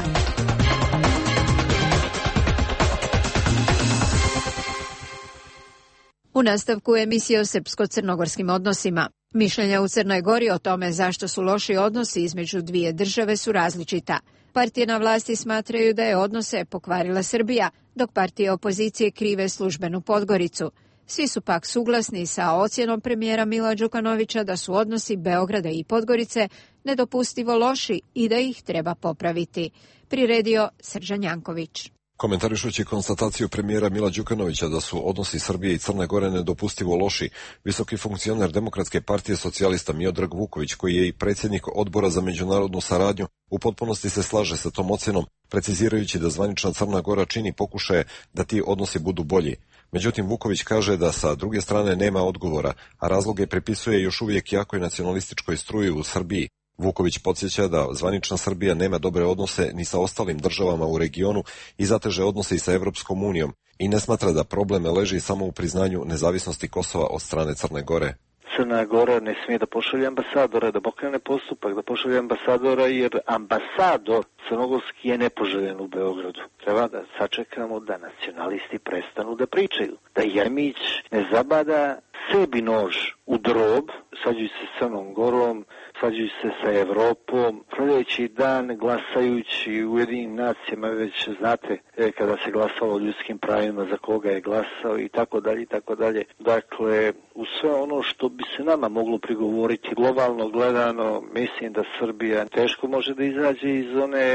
U nastavku emisije o srpsko-crnogorskim odnosima. Mišljenja u Crnoj Gori o tome zašto su loši odnosi između dvije države su različita. Partije na vlasti smatraju da je odnose pokvarila Srbija, dok partije opozicije krive službenu Podgoricu. Svi su pak suglasni sa ocjenom premijera Mila Đukanovića da su odnosi Beograda i Podgorice nedopustivo loši i da ih treba popraviti. Priredio Srđan Janković. Komentarišući konstataciju premijera Mila Đukanovića da su odnosi Srbije i Crne Gore nedopustivo loši, visoki funkcioner Demokratske partije socijalista Miodrag Vuković, koji je i predsjednik Odbora za međunarodnu saradnju, u potpunosti se slaže sa tom ocjenom, precizirajući da zvanična Crna Gora čini pokušaje da ti odnosi budu bolji. Međutim, Vuković kaže da sa druge strane nema odgovora, a razloge pripisuje još uvijek jakoj nacionalističkoj struji u Srbiji. Vuković podsjeća da zvanična Srbija nema dobre odnose ni sa ostalim državama u regionu i zateže odnose i sa Evropskom unijom i ne smatra da problem leži samo u priznanju nezavisnosti Kosova od strane Crne Gore. Crna Gora ne smije da pošalje ambasadora, da pokrene postupak, da pošalje ambasadora, jer ambasador crnogorski je nepoželjen u Beogradu. Treba da sačekamo da nacionalisti prestanu da pričaju, da Jeremić ne zabada sebi nož u drob, svađajući se s Crnom Gorom, svađajući se sa Evropom, sljedeći dan glasajući u Ujedinjenim nacijama, već znate kada se glasalo o ljudskim pravima za koga je glasao i tako dalje i tako dalje. Dakle, u sve ono što bi se nama moglo prigovoriti globalno gledano, mislim da Srbija teško može da izađe iz one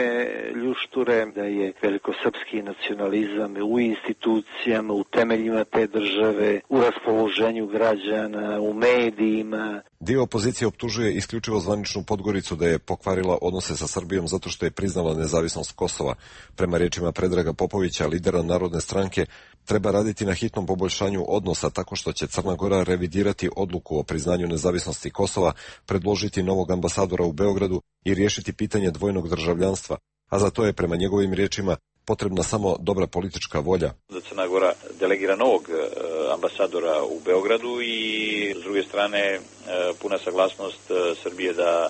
ljušture, da je velikosrpski nacionalizam u institucijama, u temeljima te države, u raspoloženju građana, u medijima. Dio opozicije optužuje isključivo zvaničnu Podgoricu da je pokvarila odnose sa Srbijom zato što je priznala nezavisnost Kosova. Prema riječima Predraga Popovića, lidera Narodne stranke, treba raditi na hitnom poboljšanju odnosa tako što će Crna Gora revidirati odluku o priznanju nezavisnosti Kosova, predložiti novog ambasadora u Beogradu i riješiti pitanje dvojnog državljanstva, a za to je prema njegovim riječima potrebna samo dobra politička volja. Crna Gora delegira novog ambasadora u Beogradu i s druge strane puna saglasnost Srbije da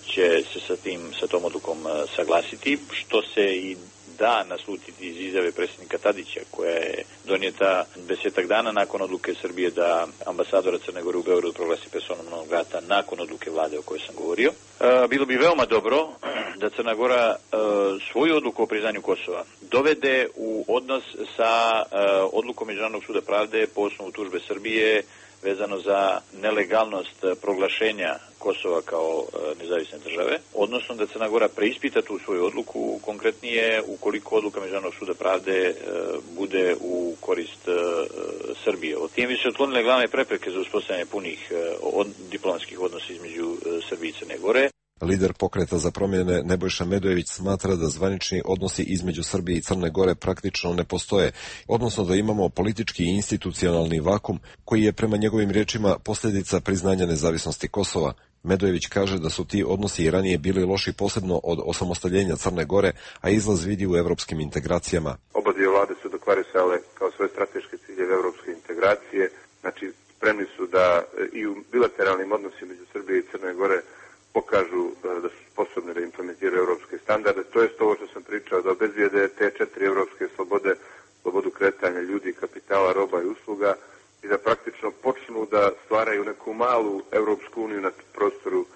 će se sa tom odlukom saglasiti, što se i da naslutiti iz izjave predsjednika Tadića, koja je donijeta 10 dana nakon odluke Srbije da ambasadora Crne Gore u Beogradu proglasi personom non grata nakon odluke vlade o kojoj sam govorio. Bilo bi veoma dobro da Crna Gora svoju odluku o priznanju Kosova dovede u odnos sa odlukom Međunarodnog suda pravde po osnovu tužbe Srbije vezano za nelegalnost proglašenja Kosova kao nezavisne države, odnosno da Crna Gora preispita tu svoju odluku, konkretnije ukoliko odluka Međunarodnog suda pravde bude u korist Srbije. Time bi se otklonile glavne prepreke za uspostavljanje punih diplomatskih odnosa između Srbije i Crne Gore. Lider Pokreta za promjene Nebojša Medojević smatra da zvanični odnosi između Srbije i Crne Gore praktično ne postoje, odnosno da imamo politički i institucionalni vakum koji je prema njegovim riječima posljedica priznanja nezavisnosti Kosova. Medojević kaže da su ti odnosi i ranije bili loši posebno od osamostaljenja Crne Gore, a izlaz vidi u evropskim integracijama. Oba dvije vlade su deklarisale kao svoje strateške ciljeve evropske integracije, znači spremni su da i u bilateralnim odnosima među Srbije i Crne Gore pokažu da su sposobni da implementiraju evropske standarde. To je ovo što sam pričao, da obezbijede te 4 evropske slobode, slobodu kretanja ljudi, kapitala, roba i usluga i da praktično počnu da stvaraju neku malu Evropsku uniju na prostoru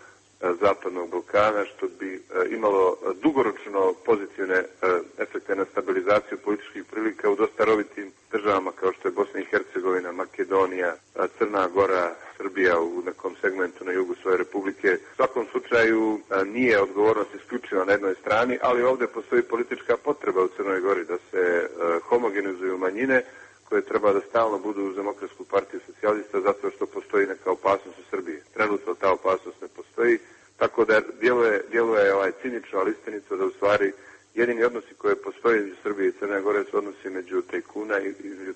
Zapadnog Balkana, što bi imalo dugoročno pozitivne efekte na stabilizaciju političkih prilika u dosta rovitim državama kao što je Bosna i Hercegovina, Makedonija, Crna Gora, Srbija u nekom segmentu na jugu svoje republike. U svakom slučaju nije odgovornost isključiva na jednoj strani, ali ovdje postoji politička potreba u Crnoj Gori da se homogenizuju manjine koje treba da stalno budu uz Demokratsku partiju socijalista zato što postoji neka opasnost u Srbiji. Trenutno ta opasnost ne postoji, tako da djeluje cinično, ali istinito da u stvari jedini odnosi koje postoje između Srbije i Crne Gore su odnosi između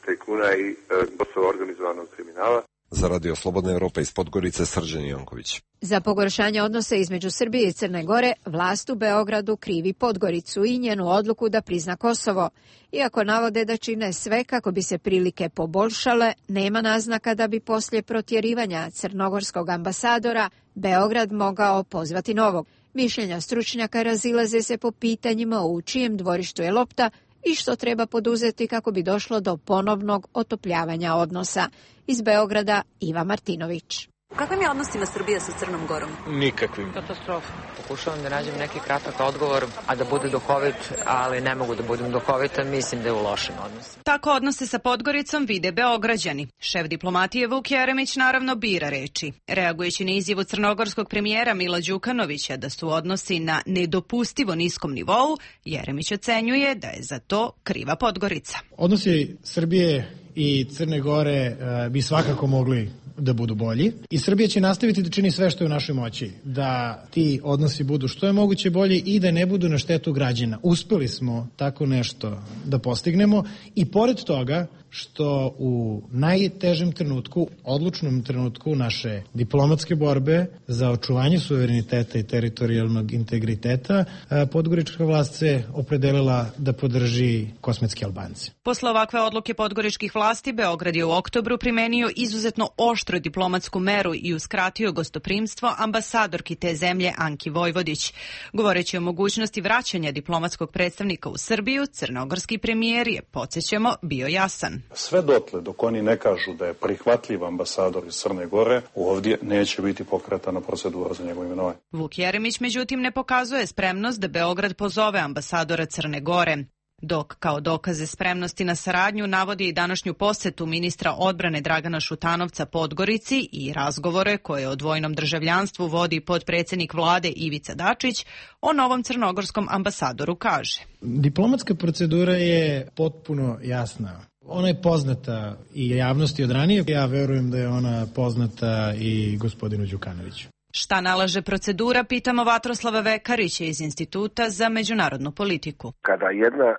tajkuna i Kosova organizovanog kriminala. Za Radio Slobodna Evropa iz Podgorice, Srđan Janković. Za pogoršanje odnosa između Srbije i Crne Gore, vlast u Beogradu krivi Podgoricu i njenu odluku da prizna Kosovo. Iako navode da čine sve kako bi se prilike poboljšale, nema naznaka da bi poslije protjerivanja crnogorskog ambasadora Beograd mogao pozvati novog. Mišljenja stručnjaka razilaze se po pitanjima u čijem dvorištu je lopta i što treba poduzeti kako bi došlo do ponovnog otopljavanja odnosa. Iz Beograda Iva Martinović. U kakvim je odnosima Srbija sa Crnom Gorom? Nikakvim. Katastrofa. Pokušavam da nađem neki kratak odgovor, a da bude duhovit, ali ne mogu da budem duhovita, mislim da je u lošim odnosima. Tako odnose sa Podgoricom vide Beograđani. Šef diplomatije Vuk Jeremić naravno bira reči. Reagujući na izjavu crnogorskog premijera Mila Đukanovića da su odnosi na nedopustivo niskom nivou, Jeremić ocenjuje da je za to kriva Podgorica. Odnosi Srbije i Crne Gore bi svakako mogli da budu bolji i Srbija će nastaviti da čini sve što je u našoj moći, da ti odnosi budu što je moguće bolji i da ne budu na štetu građana. Uspeli smo tako nešto da postignemo i pored toga što u najtežem trenutku, odlučnom trenutku naše diplomatske borbe za očuvanje suvereniteta i teritorijalnog integriteta, podgorička vlast se opredelila da podrži kosmetske Albance. Posle ovakve odluke podgoričkih vlasti, Beograd je u oktobru primenio izuzetno oštru diplomatsku meru i uskratio gostoprimstvo ambasadorki te zemlje Anki Vojvodić. Govoreći o mogućnosti vraćanja diplomatskog predstavnika u Srbiju, crnogorski premijer je, podsjećamo, bio jasan. Sve dotle dok oni ne kažu da je prihvatljiv ambasador iz Crne Gore, ovdje neće biti pokretana procedura za njegovo imenovanje. Vuk Jeremić međutim ne pokazuje spremnost da Beograd pozove ambasadora Crne Gore. Dok kao dokaze spremnosti na saradnju navodi i današnju posjetu ministra odbrane Dragana Šutanovca Podgorici i razgovore koje o dvojnom državljanstvu vodi potpredsjednik vlade Ivica Dačić, o novom crnogorskom ambasadoru kaže. Diplomatska procedura je potpuno jasna. Ona je poznata i javnosti od ranije. Ja verujem da je ona poznata i gospodinu Đukanoviću. Šta nalaže procedura, pitamo Vatroslava Vekarića iz Instituta za međunarodnu politiku. Kada jedna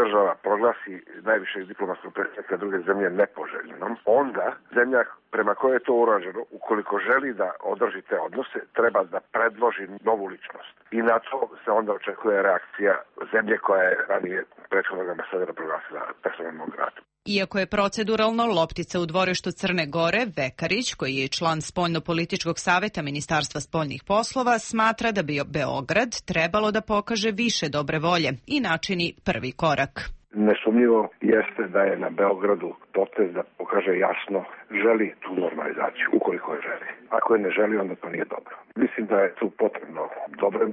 država proglasi najvišeg diplomatskog predstavnika druge zemlje nepoželjnom, onda zemlja prema kojoj je to urađeno, ukoliko želi da održi te odnose, treba da predloži novu ličnost. I na to se onda očekuje reakcija zemlje koja je ranije prethodnog ambasadora proglasila personom non gratom. Iako je proceduralno loptica u dvorištu Crne Gore, Vekarić, koji je član Spoljno-političkog saveta Ministarstva spoljnih poslova, smatra da bi Beograd trebalo da pokaže više dobre volje i načini prvi korak. Nesumnjivo jeste da je na Beogradu potez da pokaže jasno želi tu normalizaciju, ukoliko je želi. Ako je ne želi, onda to nije dobro. Mislim da je tu potrebno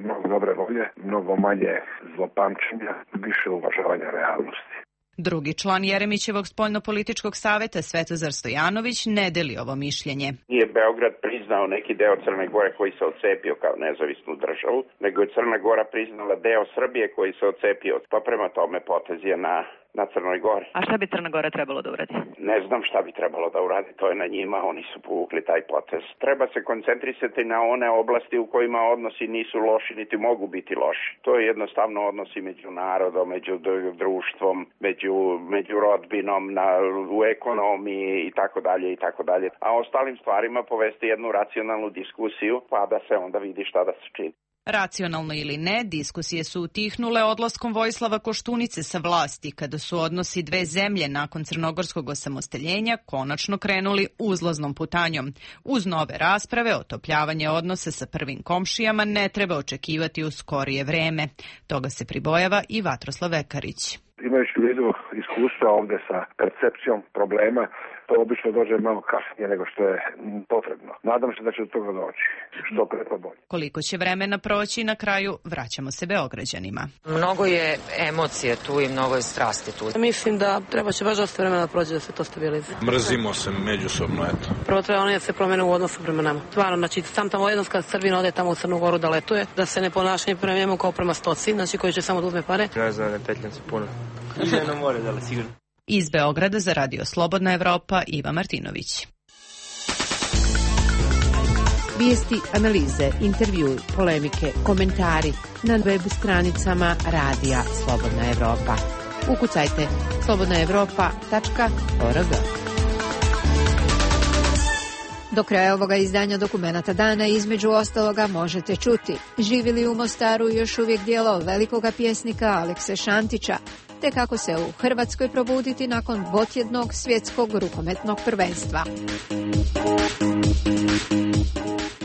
mnogo dobre volje, mnogo manje zlopamćenja, više uvažavanja realnosti. Drugi član Jeremićevog spoljno-političkog saveta Svetozar Stojanović ne deli ovo mišljenje. Nije Beograd priznao neki deo Crne Gore koji se odcepio kao nezavisnu državu, nego je Crna Gora priznala deo Srbije koji se odcepio. Pa prema tome potez je na Crnoj Gori. A šta bi Crna Gora trebalo da uradi? Ne znam šta bi trebalo da uradi, to je na njima, oni su povukli taj potez. Treba se koncentrisati na one oblasti u kojima odnosi nisu loši, niti mogu biti loši. To je jednostavno odnosi među narodom, među društvom, među rodbinom, u ekonomiji i tako dalje i tako dalje. A ostalim stvarima povesti jednu racionalnu diskusiju, pa da se onda vidi šta da se čini. Racionalno ili ne, diskusije su utihnule odlaskom Vojislava Koštunice sa vlasti, kada su odnosi dve zemlje nakon crnogorskog osamostaljenja konačno krenuli uzlaznom putanjom. Uz nove rasprave, otopljavanje odnose sa prvim komšijama ne treba očekivati u skorije vreme. Toga se pribojava i Vatroslav Vekarić. Imajući u vidu iskustva ovde sa percepcijom problema, to obično dođe malo kasnije nego što je potrebno. Nadam se da će do toga doći, što pre pa bolje. Koliko će vremena proći, na kraju vraćamo se Beograđanima. Mnogo je emocije tu i mnogo je strasti tu. Mislim da treba će baš dosta vremena proći da se to stabilizuje. Mrzimo se međusobno, eto. Prvo treba ono da se promene u odnosu prema nama. Stvarno, znači sam tamo jednom kad Srbina ode tamo u Crnu Goru da letuje, da se ne ponašanje prema njemu kao prema stoci, znači koji će samo da uzme pare. Ne znam, ne petljam se puno. Ženo more, da li sigurno. Iz Beograda za Radio Slobodna Evropa, Iva Martinović. Vijesti, analize, intervjui, polemike, komentari na web stranicama Radija Slobodna Evropa. Ukucajte slobodnaevropa.org. Do kraja ovoga izdanja Dokumenata dana između ostaloga možete čuti: živi li u Mostaru još uvijek djelo velikoga pjesnika Alekse Šantića, te kako se u Hrvatskoj probuditi nakon dvotjednog svjetskog rukometnog prvenstva.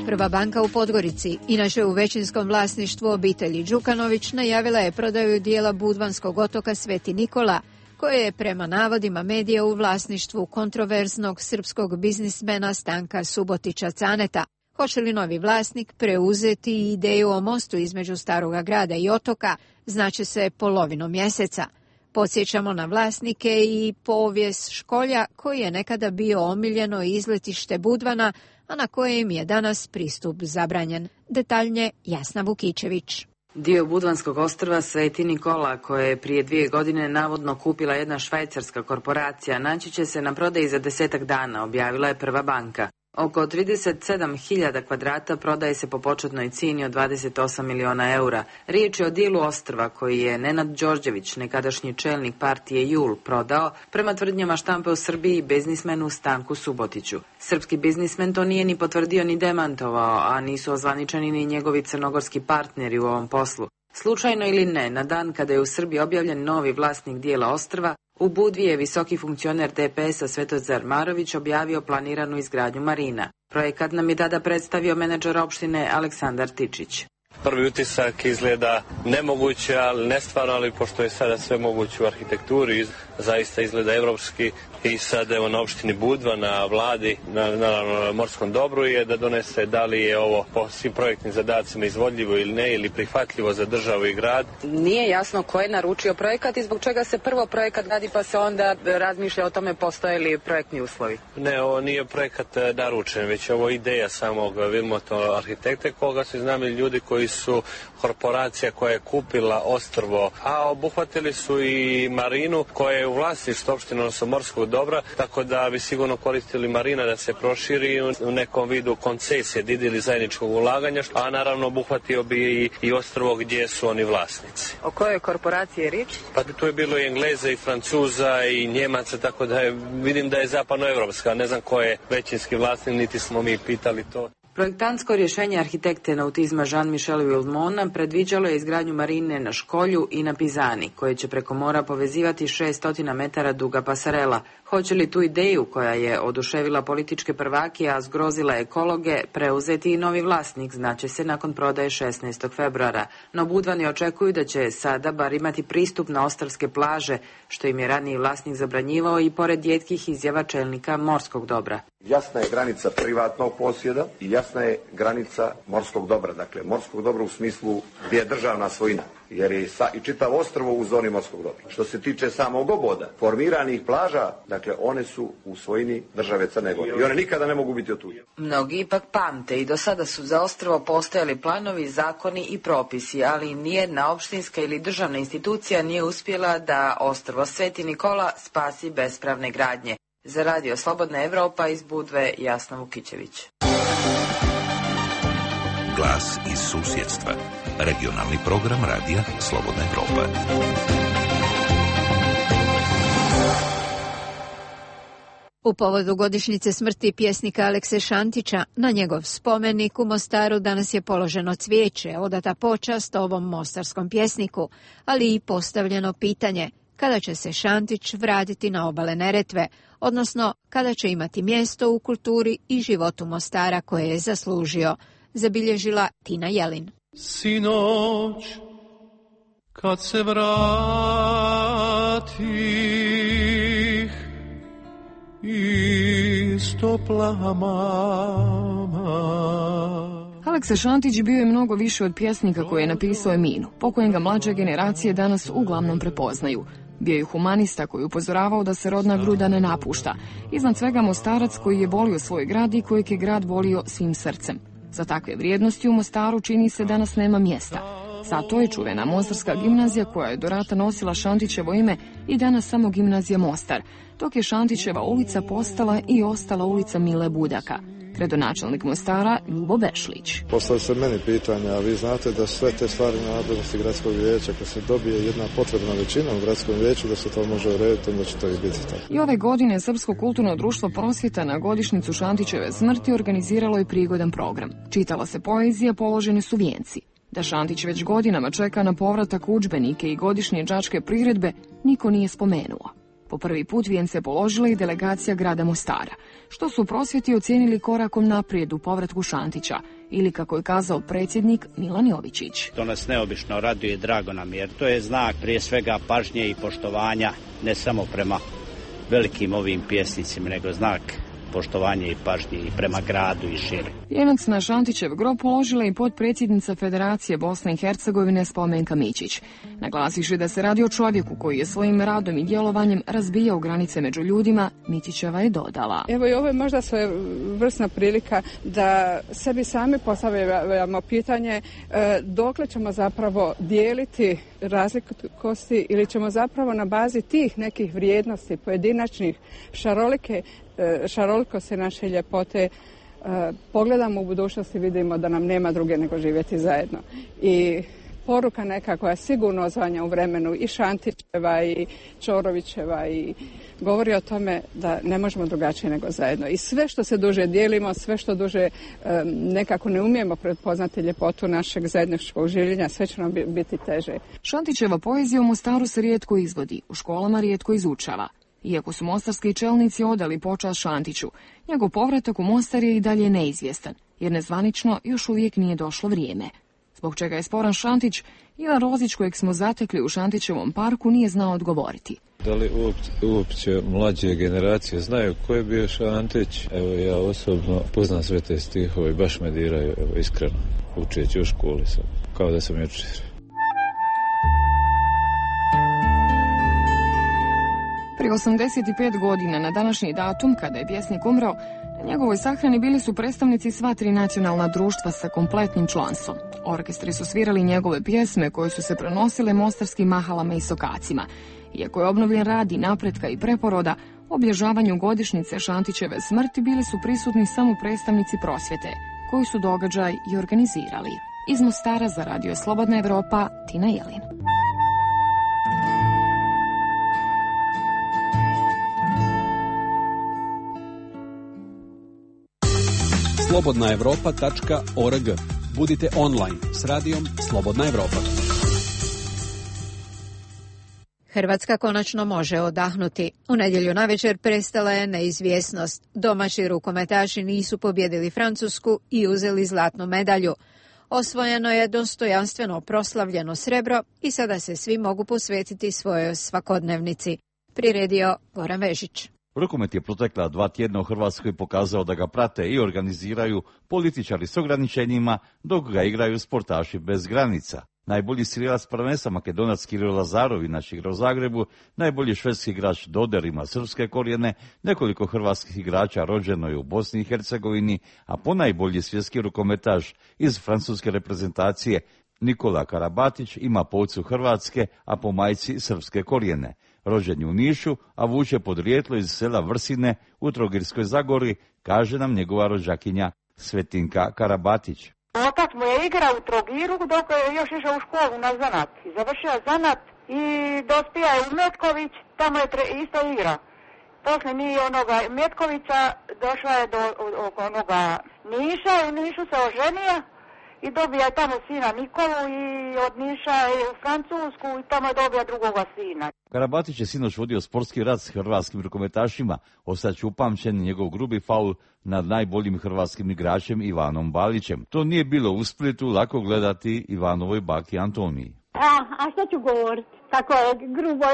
Prva banka u Podgorici, inače u većinskom vlasništvu obitelji Đukanović, najavila je prodaju dijela Budvanskog otoka Sveti Nikola, koje je prema navodima medija u vlasništvu kontroverznog srpskog biznismena Stanka Subotića Caneta. Hoće li novi vlasnik preuzeti ideju o mostu između Staroga grada i otoka, znaće se polovinom mjeseca. Podsjećamo na vlasnike i povijest Školja, koji je nekada bio omiljeno izletište Budvana, a na kojem je danas pristup zabranjen. Detaljnije Jasna Vukičević. Dio Budvanskog ostrva Sveti Nikola, koje je prije 2 godine navodno kupila jedna švajcarska korporacija, naći će se na prodaji za 10 dana, objavila je Prva banka. Oko 37.000 kvadrata prodaje se po početnoj cijeni od 28 miliona eura. Riječ je o dijelu ostrva koji je Nenad Đorđević, nekadašnji čelnik partije JUL, prodao prema tvrdnjama štampe u Srbiji biznismenu Stanku Subotiću. Srpski biznismen to nije ni potvrdio ni demantovao, a nisu ozvaničeni ni njegovi crnogorski partneri u ovom poslu. Slučajno ili ne, na dan kada je u Srbiji objavljen novi vlasnik dijela ostrva, u Budvi je visoki funkcioner DPS-a Svetozar Marović objavio planiranu izgradnju marina. Projekat nam je tada predstavio menadžer opštine Aleksandar Tičić. Prvi utisak izgleda nemoguće, ali nestvarno, ali pošto je sada sve moguće u arhitekturi, zaista izgleda evropski i sad evo na opštini Budva, na vladi, na morskom dobru je da donese da li je ovo po svim projektnim zadacima izvodljivo ili ne, ili prihvatljivo za državu i grad. Nije jasno ko je naručio projekat i zbog čega se prvo projekat gradi pa se onda razmišlja o tome postoje li projektni uslovi. Ne, ovo nije projekat naručen, već ovo ideja samog Vilmoto arhitekte, koga su iznajmili ljudi koji su korporacija koja je kupila ostrvo, a obuhvatili su i marinu koja je u vlasništvu opštine, odnosno morskog dobra, tako da bi sigurno koristili marina da se proširi u nekom vidu koncesije, ili zajedničkog ulaganja, a naravno obuhvatio bi i ostrvo gdje su oni vlasnici. O kojoj korporaciji je riječ? Pa tu je bilo i Engleza i Francuza i Njemaca, tako da vidim da je zapadnoevropska, ne znam ko je većinski vlasnik, niti smo mi pitali to. Projektantsko rješenje arhitekte nautizma Jean-Michel Wilmona predviđalo je izgradnju marine na Školju i na Pizani, koje će preko mora povezivati 600 metara duga pasarela. Hoće li tu ideju, koja je oduševila političke prvake, a zgrozila ekologe, preuzeti i novi vlasnik, znaće se nakon prodaje 16. februara. No Budvani očekuju da će sada bar imati pristup na ostrvske plaže, što im je raniji vlasnik zabranjivao i pored rijetkih izjava čelnika morskog dobra. Jasna je granica privatnog posjeda i jasna je granica morskog dobra. Dakle, morskog dobra u smislu gdje je državna svojina, jer je i čitav ostrvo u zoni morskog dobra. Što se tiče samog oboda, formiranih plaža, dakle, one su u svojini države Crne Gore i one nikada ne mogu biti otuđene. Mnogi ipak pamte i do sada su za ostrvo postojali planovi, zakoni i propisi, ali nijedna opštinska ili državna institucija nije uspjela da ostrvo Sveti Nikola spasi bespravne gradnje. Za Radio Slobodna Evropa iz Budve, Jasna Vukićević. Glas iz susjedstva. Regionalni program Radija Slobodna Evropa. U povodu godišnjice smrti pjesnika Alekse Šantića, na njegov spomenik u Mostaru danas je položeno cvijeće, odata počast ovom mostarskom pjesniku, ali i postavljeno pitanje kada će se Šantić vratiti na obale Neretve, odnosno kada će imati mjesto u kulturi i životu Mostara koje je zaslužio, zabilježila Tina Jelin. Sinoć, kad se vratih, istopla mama. Aleksa Šantić bio je mnogo više od pjesnika koji je napisao Eminu, po kojem ga mlađe generacije danas uglavnom prepoznaju. Bio je humanista koji upozoravao da se rodna gruda ne napušta. Iznad svega Mostarac koji je volio svoj grad i kojeg je grad volio svim srcem. Za takve vrijednosti u Mostaru čini se danas nema mjesta. Zato je čuvena Mostarska gimnazija koja je do rata nosila Šantićevo ime i danas samo gimnazija Mostar, dok je Šantićeva ulica postala i ostala ulica Mile Budaka. Gradonačelnik Mostara Ljubo Bešlić. Postavlja se meni pitanja, a vi znate da sve te stvari na nadležnosti gradskog vijeća, kad se dobije jedna potrebna većina u gradskom vijeću, da se to može urediti, onda će to i biti tako. I ove godine Srpsko kulturno društvo Prosvjeta na godišnjicu Šantićeve smrti organiziralo je prigodan program. Čitala se poezija, položeni su vijenci. Da Šantić već godinama čeka na povratak u udžbenike i godišnje đačke priredbe, niko nije spomenuo. Po prvi put vijence položila i delegacija grada Mostara, što su u Prosvjeti ocijenili korakom naprijed u povratku Šantića, ili kako je kazao predsjednik Milan Jovičić. To nas neobično raduje i drago nam, jer to je znak prije svega pažnje i poštovanja, ne samo prema velikim ovim pjesnicima, nego znak poštovanje i pažnje i prema gradu i šire. Vijenac na Šantićev grob položila i potpredsjednica Federacije Bosne i Hercegovine Spomenka Mićić, naglasivši da se radi o čovjeku koji je svojim radom i djelovanjem razbijao granice među ljudima. Mićićeva je dodala: Evo i ovo je možda svojevrsna prilika da sebi sami postavljamo pitanje dokle ćemo zapravo dijeliti razlikosti ili ćemo zapravo na bazi tih nekih vrijednosti pojedinačnih šarolikosti naše ljepote pogledamo u budućnosti i vidimo da nam nema druge nego živjeti zajedno. I poruka neka koja sigurno odzvanja u vremenu i Šantićeva i Čorovićeva i govori o tome da ne možemo drugačije nego zajedno. I sve što se duže dijelimo, sve što duže nekako ne umijemo prepoznati ljepotu našeg zajedničkog življenja, sve će nam biti teže. Šantićeva poezija u Mostaru se rijetko izvodi, u školama rijetko izučava. Iako su mostarski čelnici odali počast Šantiću, njegov povratak u Mostar je i dalje neizvjestan, jer nezvanično još uvijek nije došlo vrijeme. Zbog čega je sporan Šantić, Ivan Rozić, kojeg smo zatekli u Šantićevom parku, nije znao odgovoriti. Da li uopće mlađe generacije znaju ko je bio Šantić? Evo, ja osobno poznam sve te stihove i baš me diraju, evo, iskreno, učeći u školi sam, kao da sam jučer. Prije 85 godina na današnji datum, kada je pjesnik umro, na njegovoj sahrani bili su predstavnici sva 3 nacionalna društva sa kompletnim članstvom. Orkestri su svirali njegove pjesme koje su se prenosile mostarskim mahalama i sokacima. Iako je obnovljen rad i napretka i preporoda, obilježavanju godišnjice Šantićeve smrti bili su prisutni samo predstavnici Prosvjete, koji su događaj i organizirali. Iz Mostara za Radio Slobodna Evropa, Tina Jelin. slobodnaevropa.org. Budite online s radijom Slobodna Evropa. Hrvatska konačno može odahnuti. U nedjelju navečer prestala je neizvjesnost. Domaći rukometaši nisu pobjedili Francusku i uzeli zlatnu medalju. Osvojeno je dostojanstveno proslavljeno srebro i sada se svi mogu posvetiti svojoj svakodnevnici. Priredio Goran Vežić. Rukomet je protekla 2 tjedna u Hrvatskoj pokazao da ga prate i organiziraju političari s ograničenjima, dok ga igraju sportaši bez granica. Najbolji strijelac prvenstva Makedonac Kiril Lazarov inače igra u Zagrebu, najbolji švedski igrač Doder ima srpske korijene, nekoliko hrvatskih igrača rođeno je u Bosni i Hercegovini, a ponajbolji svjetski rukometaš iz francuske reprezentacije Nikola Karabatić ima po ocu Hrvatske, a po majci srpske korijene. Rođen je u Nišu, a vuče podrijetlo iz sela Vrsine u Trogirskoj Zagori, kaže nam njegova rođakinja Svetinka Karabatić. Otac mu je igrao u Trogiru dok je još išao u školu na zanat. I završio zanat i dospija je u Metković, tamo je isto igra. Poslije mi onoga Metkovića došla je do onoga Niša, u Nišu se oženio i dobija tamo sina Nikolu i od Niša je u Francusku i tamo je dobija drugoga sina. Karabatić je sinoć vodio sportski rat s hrvatskim rukometašima, ostaće upamćen njegov grubi faul nad najboljim hrvatskim igračem Ivanom Balićem. To nije bilo u Splitu lako gledati Ivanovoj baki Antoniji. A što ću govoriti? Kako je grubo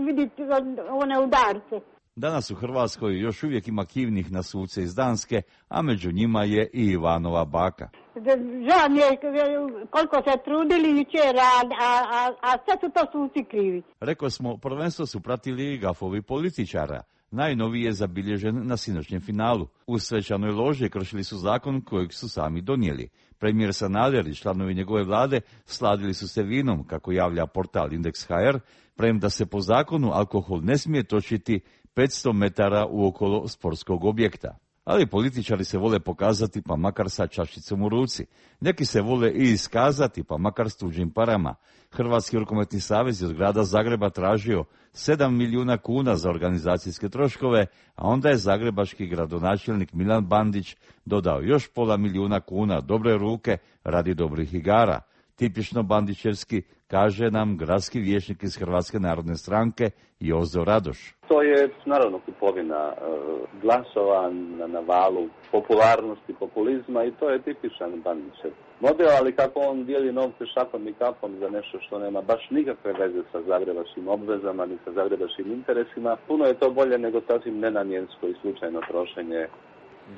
vidjeti one udarce. Danas u Hrvatskoj još uvijek ima kivnih na suce iz Danske, a među njima je i Ivanova baka. Žao mi je koliko se trudili jučer, a sve su to suci krivi. Rekao smo, prvenstvo su pratili i gafovi političara. Najnoviji je zabilježen na sinoćnjem finalu. U svečanoj loži kršili su zakon kojeg su sami donijeli. Premijer Sanader i članovi njegove vlade sladili su se vinom, kako javlja portal Indeks.hr, premda se po zakonu alkohol ne smije točiti 500 metara uokolo sportskog objekta. Ali političari se vole pokazati pa makar sa čašicom u ruci. Neki se vole i iskazati pa makar s tuđim parama. Hrvatski rukometni savez je od grada Zagreba tražio 7 milijuna kuna za organizacijske troškove, a onda je zagrebački gradonačelnik Milan Bandić dodao još £500 milijuna kuna dobre ruke radi dobrih igara. Tipično bandićevski, kaže nam gradski vijećnik iz Hrvatske narodne stranke Jozo Radoš. To je naravno kupovina glasova na valu popularnosti, populizma i to je tipičan Bandićev model, ali kako on dijeli novce šakom i kapom za nešto što nema baš nikakve veze sa zagrebačkim obvezama ni sa zagrebačkim interesima, puno je to bolje nego sasvim nenamjensko i slučajno trošenje,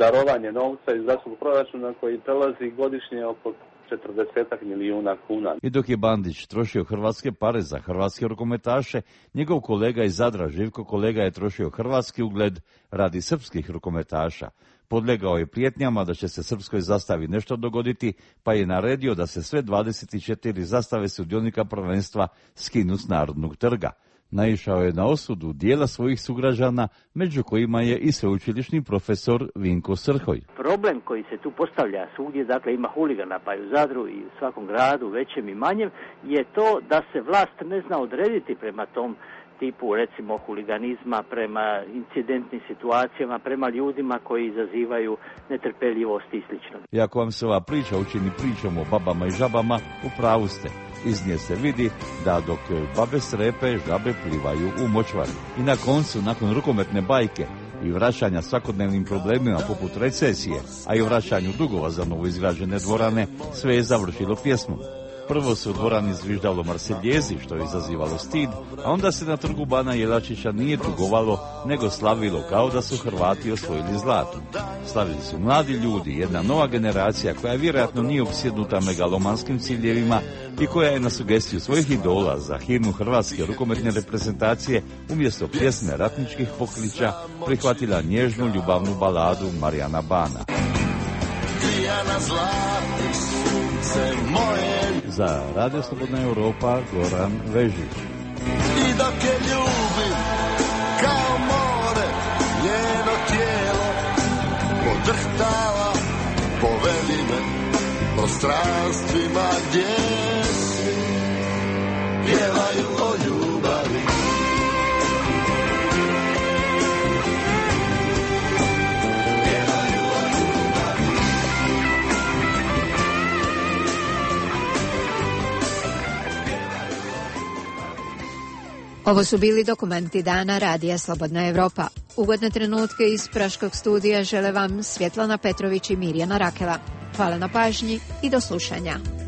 darovanje novca iz gradskog proračuna koji prelazi godišnje oko 40 milijuna kuna. I dok je Bandić trošio hrvatske pare za hrvatske rukometaše, njegov kolega iz Zadra, Živko Kolega, je trošio hrvatski ugled radi srpskih rukometaša. Podlegao je prijetnjama da će se srpskoj zastavi nešto dogoditi, pa je naredio da se sve 24 zastave sudionika prvenstva skinu s Narodnog trga. Naišao je na osudu dijela svojih sugrađana, među kojima je i sveučilišni profesor Vinko Srhoj. Problem koji se tu postavlja svugdje, dakle ima huligana pa i u Zadru i u svakom gradu, većem i manjem, je to da se vlast ne zna odrediti prema tom tipu, recimo, huliganizma, prema incidentnim situacijama, prema ljudima koji izazivaju netrpeljivost i slično. I ako vam se ova priča učini pričom o babama i žabama, u pravu ste. Iz nje se vidi da dok babe strepe, žabe plivaju u močvari. I na koncu, nakon rukometne bajke i vraćanja svakodnevnim problemima poput recesije, a i vraćanju dugova za novoizgrađene dvorane, sve je završilo pjesmom. Prvo se u dvorani zviždalo Marseljezi, što je izazivalo stid, a onda se na trgu Bana Jelačića nije tugovalo, nego slavilo kao da su Hrvati osvojili zlato. Slavili su mladi ljudi, jedna nova generacija koja vjerojatno nije opsjednuta megalomanskim ciljevima i koja je na sugestiju svojih idola za himnu hrvatske rukometne reprezentacije umjesto pjesme ratničkih pokliča prihvatila nježnu ljubavnu baladu Marijana Bana. Za Radio Slobodna Europa, Goran Vežić. I dok je ljubim kao more, njeno tijelo podrhtava, povedi me prostranstvima gdje si, pjevaju o ljubavi. Ovo su bili dokumenti dana Radija Slobodna Evropa. Ugodne trenutke iz Praškog studija žele vam Svjetlana Petrović i Mirjana Rakela. Hvala na pažnji i do slušanja.